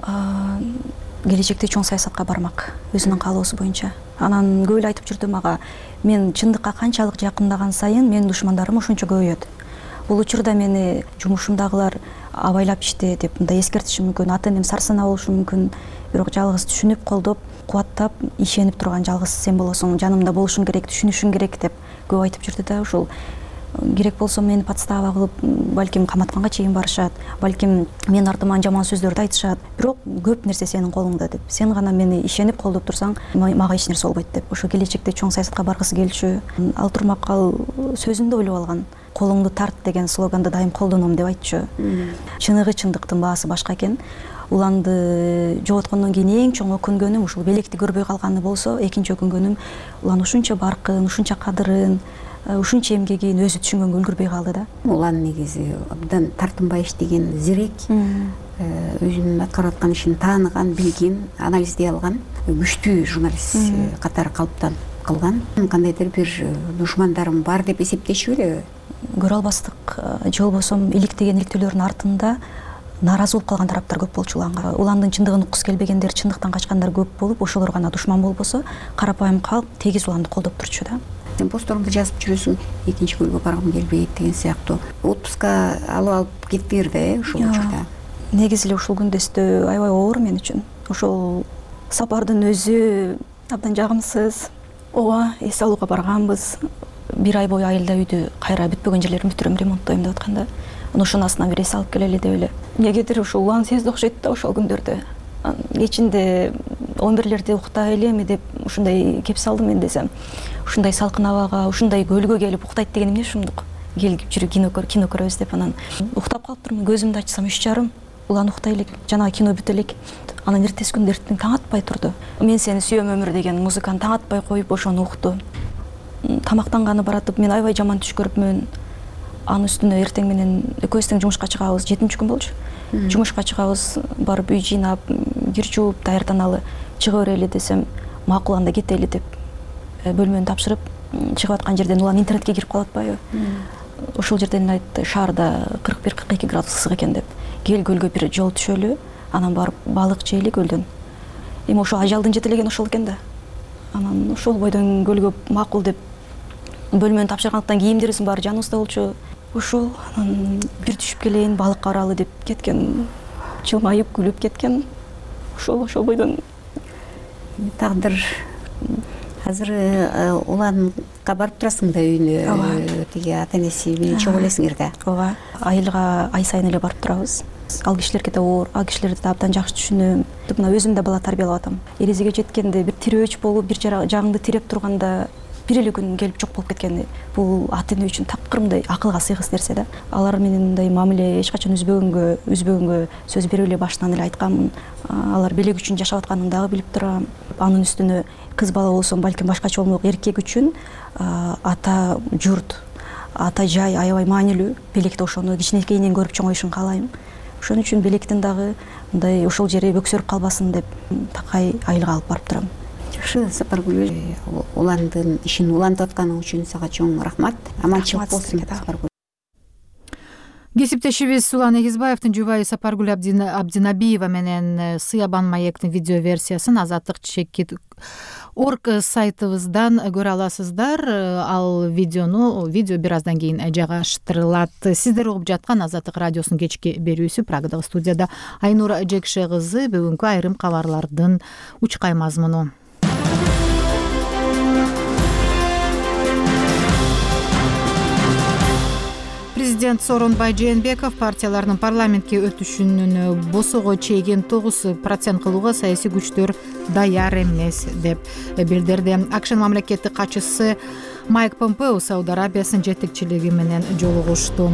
келечекте чоң саясатка бармак, өзүнүн каалоосу боюнча. Анан көп эле айтып жүрдү мага, мен чындыкка канчалык жакындаган сайын менин душмандарым ошончо көбөйөт. Бул учурда мени жумушумдагылар абайлап иште деп мындай эскертиши мүмкүн, ата энем сарсанаа болушу мүмкүн, бирок жалгыз түшүнүп, колдоп, кубаттап, ишенип турган жалгыз сен болосуң, жанымда болушуң керек, түшүнүшүң керек деп көп айтып жүрдү да. Ушул керек болсо мени подстава кылып, балким каматканга чейин барышат, балким менин артыман жаман сөздөрдү айтышат, бирок көп нерсе сенин колуңда деп. Сен гана мени ишенип колдоп турсаң, мага эч нерсе болбойт деп. Ошо келечекте чоң саясатка баргысы келчү. Ал турмак ал сөзүндө ойлоп алган. Колуңду тарт деген слоганды дайым колдоном деп айтчу. Чыныгы чындыктын баасы башка экен. Уланды жоготкондон кийин эң чоң өкүнгөнүм ушул белекти көрбөй калганы болсо, экинчи өкүнгөнүм улан ушунча баркын, ушунча кадырын, ушунча эмгегин өзү түшүнгөнгө үлгүрбөй калды да. Улан негизи абдан тартынбай иштеген, зерек, өзүнүн аткарып аткан ишин тааныган, билген, анализдей алган, күчтүү журналист катары калыптанып калган. Кандайдыр бир душмандарым бар деп эсептешү беле? Көрө албастык, же болбосо иликтеген иликтөөлөрдүн артында нааразы болуп калган тараптар көп болчу уланга. Уландын чындыгын уккусу келбегендер, чындыктан качкандар көп болуп, ошолор гана душман болбосо, карапайым калк тегиз уланды колдоп турчу да. Сен посторуңду жазып жүрөсүң, экинчи көлгө баргым келбейт деген сыяктуу. Отпуска алып алып кеттиңер да, э, ошол учурда. Негизи эле ушул күндөстө аябай оор мен үчүн. Ошол сапардын өзү абдан жагымсыз. Ооба, эс алууга барганбыз. Бир ай бою айылда үйдү кайра бүтпөгөн жерлерин бүтүрөм, ремонттойм деп атканда, ошонун астынан бир эс алып келели деп эле. Эмнегедир ушул улан сезди окшойт да ошол күндөрдө. Кечинде он бирлерде уктай элеми деп ушундай кеп салдым мен десем. Ушундай салкын абага, ушундай көлгө келип уктайт деген эмне ушундук? Келип жүрүп кино көр, кино көрөбүз деп анан уктап калыптырмын. Көзүмдү ачсам үч жарым. Улан уктай элек, жанагы кино бүтө элек. Анан эртеси күндө эртең таң атпай турду. Мен сени сүйөм өмүр деген музыканы таң атпай коюп ошону укту. Тамактанганы баратып мен аябай жаман түш көрүпмүн. Анын үстүнө эртең менен экөөбүз тең жумушка чыгабыз, жетинчи күн болчу. Жумушка чыгабыз, барып үй жыйнап, кир жууп, даярданалы, чыга берели десем, макул анда кетели деп бөлмөнү тапшырып, чыгып аткан жерден улан интернетке кирип калып атпайбы? Ошол жерден айтты, шаарда кырк бир кырк эки градус ысык экен деп. Кел көлгө бир жол түшөлү, анан барып балык жейли көлдөн. Эми ошол ажалдын жетелегени ошол экен да. Анан ошол бойдон көлгө макул деп бөлмөнү тапшыргандыктан кийимдерибиздин баары жаныбызда болчу. Ошол анан бир түшүп келейин, балыкка баралы деп кеткен. Жылмайып күлүп кеткен. Ошол ошол бойдон тагдыр. Азыр уланга барып турасың да үйүнө, тиги ата энеси менен чогуу элесиңер да. Ооба, айылга ай сайын эле барып турабыз. Ал кишилерге да оор, ал кишилерди да абдан жакшы түшүнөм. Мына өзүм да бала тарбиялап атам. Эрезеге жеткенде бир тирөөч болуп, бир жагыңды тиреп турганда бир эле күн келип жок болуп кеткени бул ата эне үчүн такырмындай акылга сыйгыс нерсе да. Алар менен мындай мамиле эч качан үзбөгөнгө, үзбөгөнгө сөз берип эле башынан эле айтканмын. Алар белек үчүн жашап атканын дагы билип турам. Анын үстүнө кыз бала болсом балким башкача болмок, эркек үчүн ата журт, ата жай аябай маанилүү. Белекте ошону кичинекейинен көрүп чоңоюшун каалайм. Ошон үчүн белектин дагы мындай ошол жери бөксөрүп калбасын деп такай айылга алып барып турам. Жакшы, Сапаргүл, уландын ишин улантып атканың үчүн сага чоң рахмат. Аманчылык болсун, Сапаргүл. Кесиптешибиз Улан Эгизбаевдин жубайы Сапаргүл Абдинабиева менен Сыябан маектин видео версиясын азаттык чекит орг сайтыбыздан көрө аласыздар. Ал видеону видео бир аздан кийин жайгаштырылат. Сиздер угуп жаткан Азаттык радиосунун кечки берүүсү. Прагадагы студияда Айнур Жекше кызы. Бүгүнкү айрым кабарлардын учкай мазмуну. Президент Сооронбай Жээнбеков партиялардын парламентке өтүшүнүн босого чейген тогуз процент кылууга саясий күчтөр даяр эмес деп билдирди. АКШнын мамлекеттик катчысы Майк Помпео Сауд Арабиясынын жетекчилиги менен жолугушту.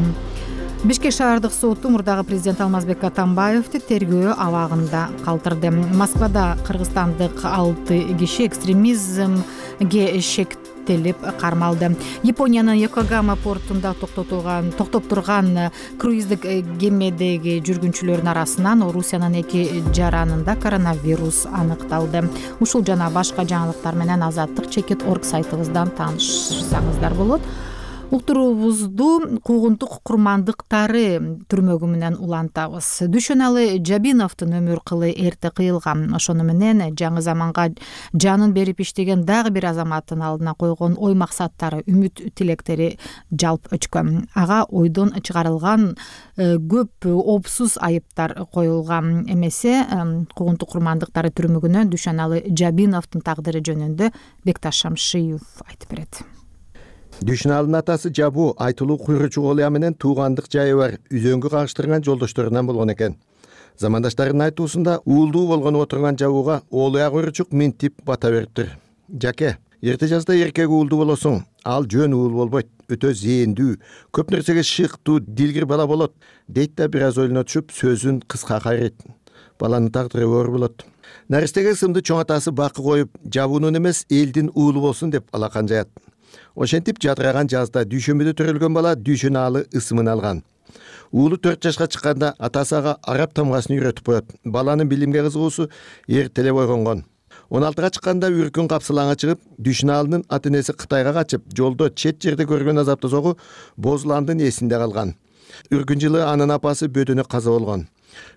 Бишкек шаардык соту мурдагы президент Алмазбек Атамбаевди тергөө абагында калтырды. Москвада кыргызстандык алты киши экстремизмге шектелип кармалды. Япониянын Йокогама портунда токтотулган токтоп турган круиздик кемедеги жүргүнчүлөрдүн арасынан Орусиянын эки жаранында коронавирус аныкталды. Ушул жана башка жаңылыктар менен азаттык чекит орг сайтыбыздан таанышсаңыздар болот. Уктуруубузду куугунтук курмандыктары түрмөгү менен улантабыз. Дүшөналы Жабиновдун өмүр кылы эрте кыйылган. Ошону менен жаңы заманга жанын берип иштеген дагы бир азаматтын алдына койгон ой максаттары, үмүт тилектери жалп өчкөн. Ага ойдон чыгарылган көп опсуз айыптар коюлган. Эмесе куугунтук курмандыктары түрмөгүнө Дүшөналы Жабиновдун тагдыры жөнүндө Бекташ Шамшиев айтып берет. Дүшөналынын атасы Жабу айтылуу куйручу Олия менен туугандык жайы бар үзөңгү кагыштырган жолдошторунан болгон экен. Замандаштарынын айтуусунда уулдуу болгону отурган Жабууга Олия куйручук минтип бата бериптир. Жаке, эрте жазда эркек уулдуу болосуң, ал жөн уул болбойт, өтө зээндүү, көп нерсеге шыктуу, дилгир бала болот, дейт да бир аз ойлоно түшүп сөзүн кыска кайрыйт. Баланын тагдыры оор болот. Наристеге сымды чоң атасы бакы коюп, Жабуунун эмес, элдин уулу болсун деп алакан жаят. Ошентип жадыраган жазда дүйшөмбөдө төрөлгөн бала Дүшөналы ысымын алган. Уулу төрт жашка чыкканда атасы ага араб тамгасын үйрөтүп коет. Баланын билимге кызыгуусу эртелеп ойгонгон. он алтыга чыкканда үркүн капсылаңа чыгып, Дүшөналынын ата энеси Кытайга качып, жолдо чет жерде көргөн азапты согу Бозуландын эсинде калган. Үркүн жылы анын апасы бөдөнө каза болгон.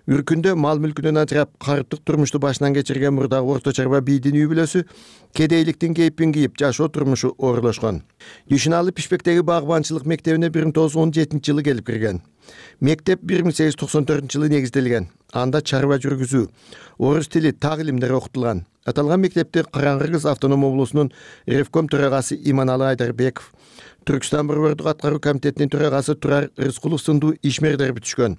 Үркүндө мал мүлкүнөн ажырап карыптык турмушту башынан кечирген мурдагы орто чарба бийдин үй бүлөсү кедейликтин кейпин кийип жашоо турмушу оорлошкон. Дүйшөналы Пишпектеги багбанчылык мектебине бир миң тогуз жүз он жетинчи жылы келип кирген. Мектеп бир миң сегиз жүз токсон төртүнчү жылы негизделген. Анда чарба жүргүзүү, орус тили, так илимдер окутулган. Аталган мектепти Караңгы Кыргыз автоном облусунун Ревком төрагасы Иманалы Айдарбеков, Түркстан борбордук аткаруу комитетинин төрагасы Турар Рыскулов сындуу ишмерлер бүтүшкөн.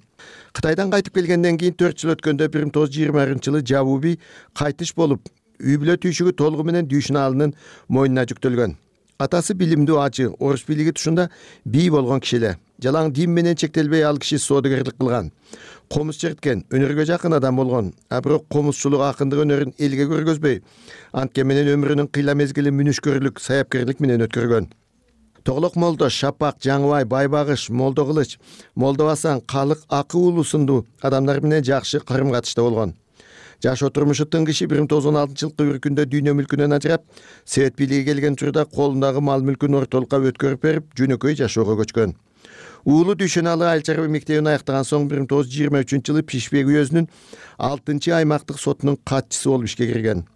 Кытайдан кайтып келгенден кийин төрт жыл өткөндө бир миң тогуз жүз жыйырманчы жылы жабуу бий кайтыш болуп, үй бүлө түйшүгү толугу менен Дүйшөналынын мойнуна жүктөлгөн. Атасы билимдүү ачы, орус бийлиги тушунда бий болгон киши эле. Жалаң дин менен чектелбей ал киши соодагерлик кылган. Комуз черткен, өнөргө жакын адам болгон. А бирок комузчулук акындык өнөрүн элге көргөзбөй, антке менен өмүрүнүн кыйла мезгилин мүнүшкөрлүк, саяпкерлик менен өткөргөн. Тоголок Молдо, Шапак, Жаңыбай, Байбагыш, Молдо Кылыч, Молдо Асан, Калык Акы уулу сындуу адамдар менен жакшы карым катышта болгон. Жашоо турмушу тың киши бир миң тогуз жүз он алтынчы жылкы үркүндө дүйнө мүлкүнөн ажырап, Совет бийлиги келген учурда колундагы мал мүлкүн ортолукка өткөрүп берип, жөнөкөй жашоого көчкөн. Уулу Дүйшөналы айыл чарба мектебин аяктаган соң бир миң тогуз жүз жыйырма үчүнчү жылы Пишпек уездинин алтынчы аймактык сотунун катчысы болуп ишке кирген.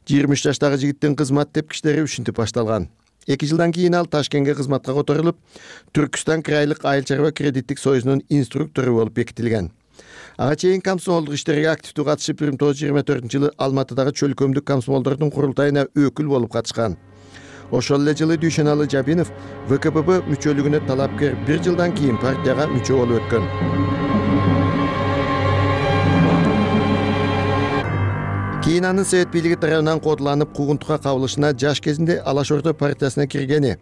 жыйырма үч жаштагы жигиттин кызмат тепкичтери ушинтип башталган. эки жылдан кийин ал Ташкентке кызматка которулуп, Түркстан крайлык айыл чарба кредиттик союзунун инструктору болуп бекитилген. Ага чейин комсомолдук иштерге активдүү катышып, бир миң тогуз жүз жыйырма төртүнчү жылы Алматыдагы чөлкөмдүк комсомолдордун курултайына өкүл болуп катышкан. Ошол эле жылы Дүйшөналы Жабинов вэ ка пэ бэ мүчөлүгүнө талапкер, бир жылдан кийин партияга мүчө болуп өткөн. Кийин анын Совет бийлиги тарабынан кодуланып, куугунтукка кабылышына жаш кезинде Алаш Орда партиясына киргени,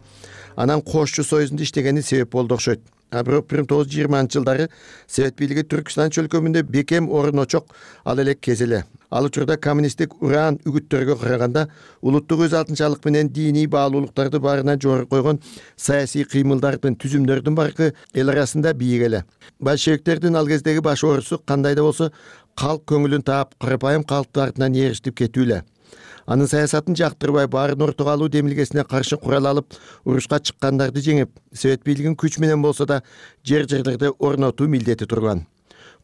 анан Кошчу союзунда иштегени себеп болду окшойт. А бирок бир миң тогуз жүз жыйырманчы жылдары Совет бийлиги Түркстан чөлкөмүндө бекем орун очок ал элек кез эле. Ал учурда коммунисттик уран үгүттөргө караганда улуттук өз алтынчалык менен диний баалуулуктарды баарынан жогору койгон саясий кыймылдардын, түзүмдөрдүн баркы эл арасында бийик эле. Большевиктердин ал кездеги баш оорусу кандай да болсо калк көңүлүн таап, карапайым калктын артынан ээрчитип кетүү эле. Анын саясатын жактырбай, баарын ортого алуу демилгесине каршы курал алып, урушка чыккандарды жеңип, Совет бийлигин күч менен болсо да жер жерлерде орнотуу милдети турган.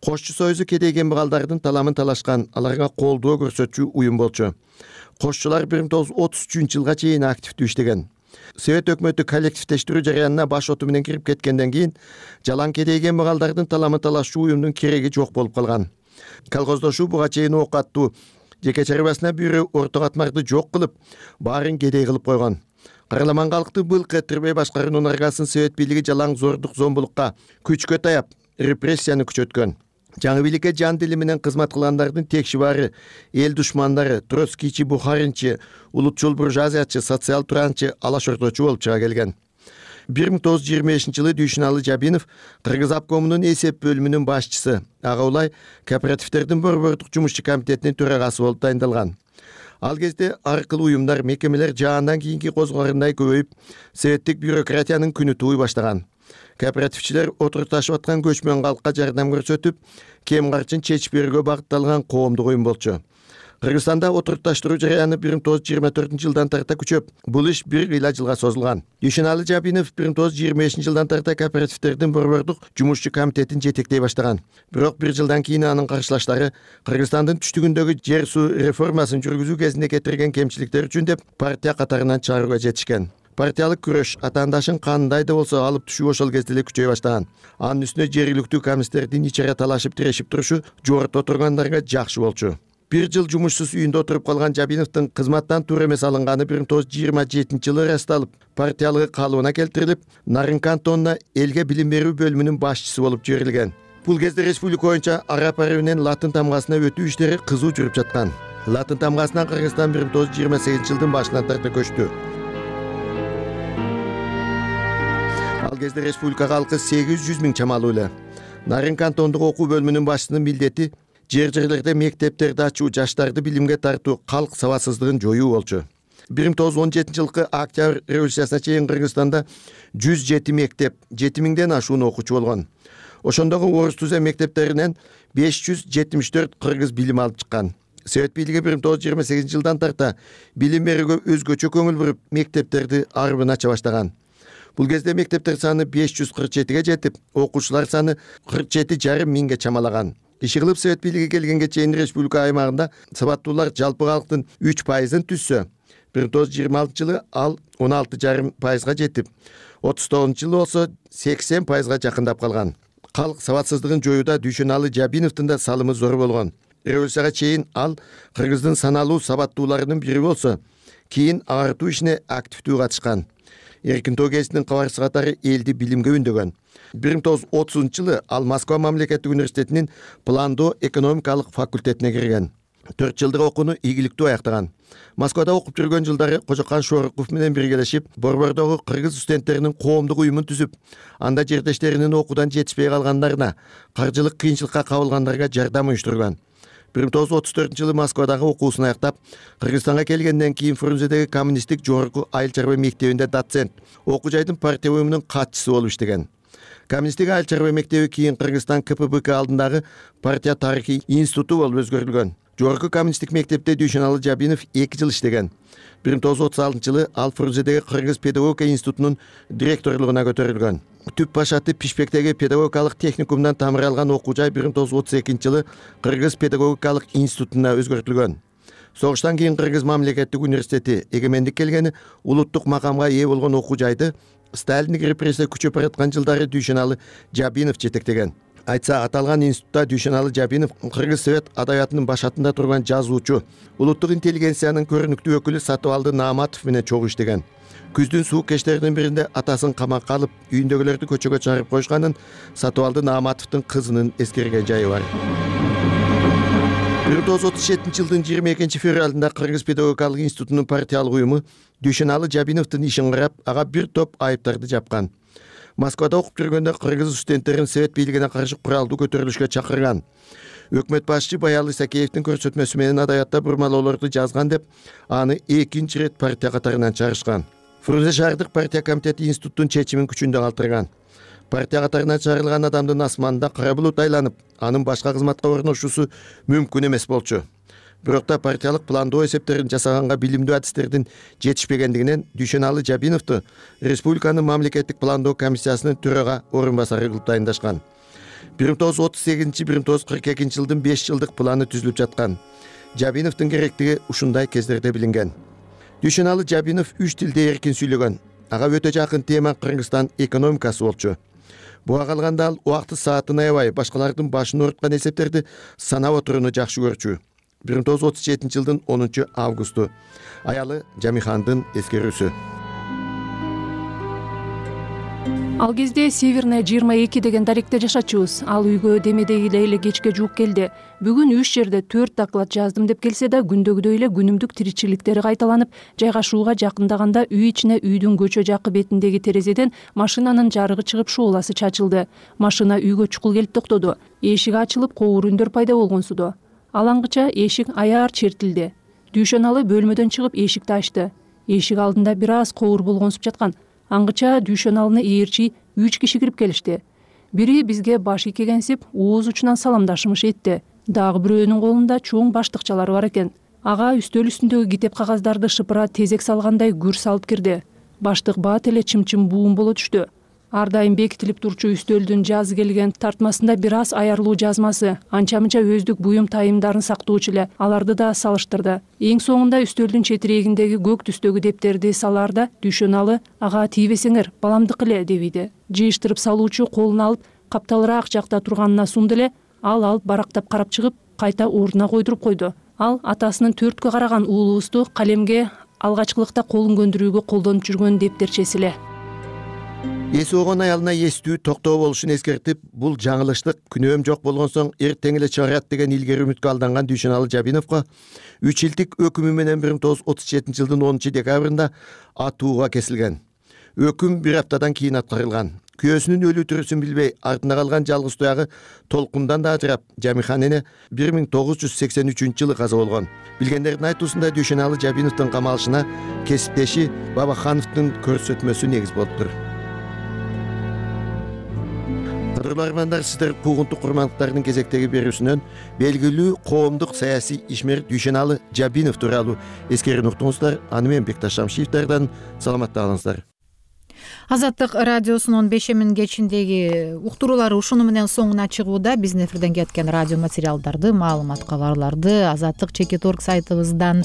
Кошчу союзу кедей кембагалдардын таламын талашкан, аларга колдоо көрсөтчү уюм болчу. Кошчулар бир миң тогуз жүз отуз үчүнчү жылга чейин активдүү иштеген. Совет өкмөтү коллективдештирүү жараянына баш оту менен кирип кеткенден кийин жалаң кедей кембагалдардын таламын талашчу уюмдун кереги жок болуп калган. Колхоздошуу буга чейин ок аттуу, жеке чарбасына бүйрө орто катмарды жок кылып, баарын кедей кылып койгон. Караламан калкты былк этирбей башкаруунун аргасын Совет бийлиги жалаң зордук, зомбулукка, күчкө таяп, репрессияны күчөткөн. Жаңы бийликке жан дили менен кызмат кылгандардын текши баары, эл душмандары, троцкийчи, бухаринчи, улутчул буржуазиячы, социал туранчы, алаш орточу болуп чыга келген. бир миң тогуз жүз жыйырма бешинчи жылы Дүйшөналы Жабинов Кыргыз обкомунун эсеп бөлүмүнүн башчысы, ага улай кооперативдердин борбордук жумушчу комитетинин төрагасы болуп дайындалган. Ал кезде ар кыл уюмдар, мекемелер жаандан кийинки козгорундай көбөйүп, советтик бюрократиянын күнү тууй баштаган. Кооперативчилер отурташып аткан көчмөн калкка жардам көрсөтүп, кем карчын чечип берүүгө багытталган коомдук уюм болчу. Кыргызстанда отурташтыруу жараяны бир миң тогуз жүз жыйырма төртүнчү жылдан тарта күчөп, бул иш бир кыйла жылга созулган. Дүйшөналы Жабинов бир миң тогуз жүз жыйырма бешинчи жылдан тарта кооперативдердин борбордук жумушчу комитетин жетектей баштаган. Бирок бир жылдан кийин анын каршылаштары Кыргызстандын түштүгүндөгү жер суу реформасын жүргүзүү кезинде кетирген кемчиликтер үчүн деп партия катарынан чыгарууга жетишкен. Партиялык күрөш атаандашын кандай да болсо алып түшүү ошол кезде эле күчөй баштаган. Анын үстүнө жергиликтүү коммунисттердин ичара талашып тирешип турушу жогорто отургандарга жакшы болчу. Бир жыл жумушсуз үйүндө отуруп калган Жабиновдун кызматтан тур эмес алынганы бир миң тогуз жүз жыйырма жетинчи жылы ырасталып, партиялыгы калыбына келтирилип, Нарын кантонуна элге билим берүү бөлүмүнүн башчысы болуп жиберилген. Бул кезде республика боюнча Арап ари менен Латын тамгасына өтүү иштери кызуу жүрүп жаткан. Латын тамгасынан Кыргызстан бир миң тогуз жүз жыйырма сегизинчи жылдын башынан тарта көчтү. Ал кезде республика калкы сегиз жүз миң чамалуу эле. Нарын кантондук окуу бөлүмүнүн башчысынын милдети жер жерлерде мектептерди ачуу, жаштарды билимге тартуу, калк сабатсыздыгын жоюу болчу. бир миң тогуз жүз он жетинчи жылкы Октябрь революциясына чейин Кыргызстанда жүз жети мектеп, жети миңден ашуун окуучу болгон. Ошондогу орус түзем мектептеринен беш жүз жетимиш төрт кыргыз билим алып чыккан. Совет бийлиги бир миң тогуз жүз жыйырма сегизинчи жылдан тарта билим берүүгө өзгөчө көңүл буруп, мектептерди арбын ача баштаган. Бул кезде мектептер саны беш жүз кырк жетиге жетип, окуучулар саны кырк жети жарым миңге чамалаган. иши кылып совет бийлиги келгенге чейин республика аймагында сабаттуулар жалпы калктын үч пайызын түзсө, бир миң тогуз жүз жыйырма алтынчы жылы ал он алты жарым пайызга жетип, отуз тогузунчу жылы болсо сексен пайызга жакындап калган. Калк сабатсыздыгын жоюуда Дүйшөналы Жабиновдун да салымы зор болгон. Революцияга чейин ал Кыргыздын саналуу сабаттууларынын бири болсо, кийин агартуу ишине активдүү катышкан. Эркин тоо гезитинин кабарчысы катары элди билимге үндөгөн. бир миң тогуз жүз отузунчу жылы ал Москва мамлекеттик университетинин пландоо экономикалык факультетине кирген. төрт жылдык окууну ийгиликтүү аяктаган. Москвада окуп жүргөн жылдары Кожокан Шороков менен биргелешип, Борбордогу кыргыз студенттеринин коомдук уюмун түзүп, анда жердештеринин окуудан жетишпей калгандарына, каржылык кыйынчылыкка кабылгандарга жардам уюштурган. бир миң тогуз жүз отуз төртүнчү жылы Москвадагы окуусун аяктап, Кыргызстанга келгенден кийин Фрунзедеги коммунисттик жогорку айыл чарба мектебинде доцент, окуу жайдын партия уюмунун катчысы болуп иштеген. Коммунисттик айыл чарба мектеби кийин Кыргызстан ка пэ бэ ка алдындагы партия тарыхый институту болуп өзгөртүлгөн. Жогорку коммунисттик мектепте Дүйшөналы Жабинов эки жыл иштеген. бир миң тогуз жүз отуз алтынчы жылы ал Фрунзедеги Кыргыз педагогика институтунун директорлугуна көтөрүлгөн. Түп башаты Пишпектеги педагогикалык техникумдан тамыр алган окуу жай бир миң тогуз жүз отуз экинчи жылы Кыргыз педагогикалык институтуна өзгөртүлгөн. Согуштан кийин Кыргыз мамлекеттик университети эгемендик келгени улуттук макамга ээ болгон окуу жайды Сталиндик репрессия күчөп бараткан жылдары Дүйшөналы Жабинов жетектеген. Айтса, аталган институтта Дүйшөналы Жабинов Кыргыз совет адабиятынын башатында турган жазуучу, улуттук интеллигенциянын көрүнүктүү өкүлү Сатыбалды Нааматов менен чогуу иштеген. Күздүн суук кечтеринин биринде атасын камакка алып, үйүндөгүлөрдү көчөгө чыгарып коюшканын Сатыбалды Нааматовдун кызынын эскерген жайы бар. бир миң тогуз жүз отуз жетинчи жылдын жыйырма экинчи февралында Кыргыз педагогикалык институтунун партиялык уюму Дүйшөналы Жабиновдун ишин карап, ага бир топ айыптарды жапкан. Москвада окуп жүргөндө кыргыз студенттерин совет бийлигине каршы куралдуу көтөрүлүшкө чакырган. Өкмөт башчы Баял Исакеевдин көрсөтмөсү менен адабиятта бурмалоолорду жазган деп, аны экинчи ирет партия катарынан чыгарышкан. Фрунзе шаардык партия комитети институттун чечимин күчүндө калтырган. Партия катарынан чыгарылган адамдын асманында кара булут айланып, анын башка кызматка орношуусу мүмкүн эмес болчу. Бирок да партиялык пландоо эсептерин жасаганга билимдүү адистердин жетишпегендигинен Дүйшөналы Жабиновду республиканын мамлекеттик пландоо комиссиясынын төрага орун басары кылып дайындашкан. бир миң тогуз жүз отуз сегизинчи бир миң тогуз жүз кырк экинчи жылдын беш жылдык планы түзүлүп жаткан. Жабиновдун керектиги ушундай кездерде билинген. Дүйшөналы Жабинов үч тилде эркин сүйлөгөн. Ага өтө жакын тема Кыргызстан экономикасы болчу. Буга калганда ал убакты саатын аябай, башкалардын башын ооруткан эсептерди санап отурууну жакшы көрчү. бир миң тогуз жүз отуз жетинчи жылдын онунчу августу аялы Жамихандын эскерүүсү. Ал кезде Северная жыйырма эки деген даректе жашачубуз. Ал үйгө демедегидей эле кечке жуук келди. Бүгүн үч жерде төрт доклад жаздым деп келсе да, күндөгүдөй эле күнүмдүк тиричиликтери кайталанып, жайгашууга жакындаганда үй ичине үйдүн көчө жакы бетиндеги терезеден машинанын жарыгы чыгып шууласы чачылды. Машина үйгө чукул келип токтоду. Эшик ачылып, коор үндөр пайда болгонсуду. Алаңгыча эшик аяр чертилди. Дүйшөналы бөлмөдөн чыгып эшикти ачты. Эшик алдында бир аз коор болгонсуп жаткан. Аңгыча Дүйшөналыны ээрчи үч киши кирип келишти. Бири бизге баш ийгенсип, ооз учунан саламдашымыш этти. Дагы бирөөнүн колунда чоң баштыкчалары бар экен. Ага үстөл үстүндөгү китеп кагаздарды шыпыра тезек салгандай гүр салып кирди. Баштык баат эле чымчым буум боло түштү. Ар дайым бекитилип турчу үстөлдүн жазы келген тартмасында бир аз аярлуу жазмасы, анча-мынча өздүк буюм тайымдарын сактоочу эле, аларды да салыштырды. Эң соңунда үстөлдүн четирегиндеги көк түстөгү дептерди салаарда Дүйшөналы ага тийбесеңер, баламдыкы эле дебиди. Жыйыштырып салуучу колун алып, капталыраак жакта турганына сунду эле, ал алып барактап карап чыгып, кайта ордуна койдуруп койду. Ал атасынын төрткө караган уулубузду калемге алгачкылыкта колун көндүрүүгө колдонуп жүргөн дептерчеси эле. Эси огон аялына эстүү токтоо болушун эскертип, бул жаңылыштык, күнөөм жок болгон соң эртең эле чыгарат деген илгери үмүткө алданган Дүйшөналы Жабиновго үч жылдык өкүмү менен бир миң тогуз жүз отуз жетинчи жылдын онунчу декабрында атууга кесилген. Өкүм бир аптадан кийин аткарылган. Күйөөсүнүн өлүү тирүүсүн билбей, артына калган жалгыз туягы толкундан да ажырап, Жамихан эне бир миң тогуз жүз сексен үчүнчү жылы каза болгон. Билгендердин айтуусунда Дүйшөналы Жабиновдун камалышына кесиптеши Бабахановдун көрсөтмөсү негиз болуптур. Кадырлуу армандар, сиздер куугунтук курмандыктардын кезектеги берүүсүнөн белгилүү коомдук саясий ишмер Дүйшөналы Жабинов тууралуу эскерүүнү уктуңуздар. Аны мен Бекташ Шамшиевдерден саламатта калыңыздар. Азаттык радиосунун бешемин кечиндеги уктуруулары ушуну менен соңуна чыгууда. Биздин эфирден кеткен радио материалдарды, маалымат кабарларды азаттык чекит орг сайтыбыздан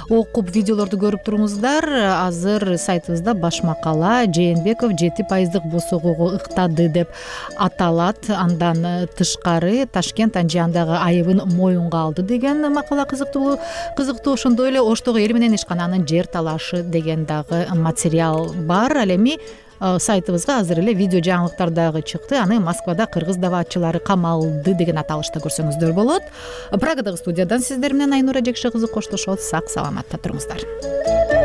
окуп, видеолорду көрүп туруңуздар. Азыр сайтыбызда баш макала Жээнбеков жети пайыздык босогууга ыктады деп аталат. Андан тышкары Ташкент Анжиандагы айыбын моюнга алды деген макала кызыктуу. Кызыктуу ошондой эле Оштогу эл менен ишкананын жер талашы деген дагы материал бар. Ал эми сайтыбызга азыр эле видео жаңылыктар дагы чыкты. Аны Москвада кыргыз даваатчылары камалды деген аталышта көрсөңүздөр болот. Прагадагы студиядан сиздер менен Айнура Жекше кызы коштошот. Сак саламатта туруңуздар.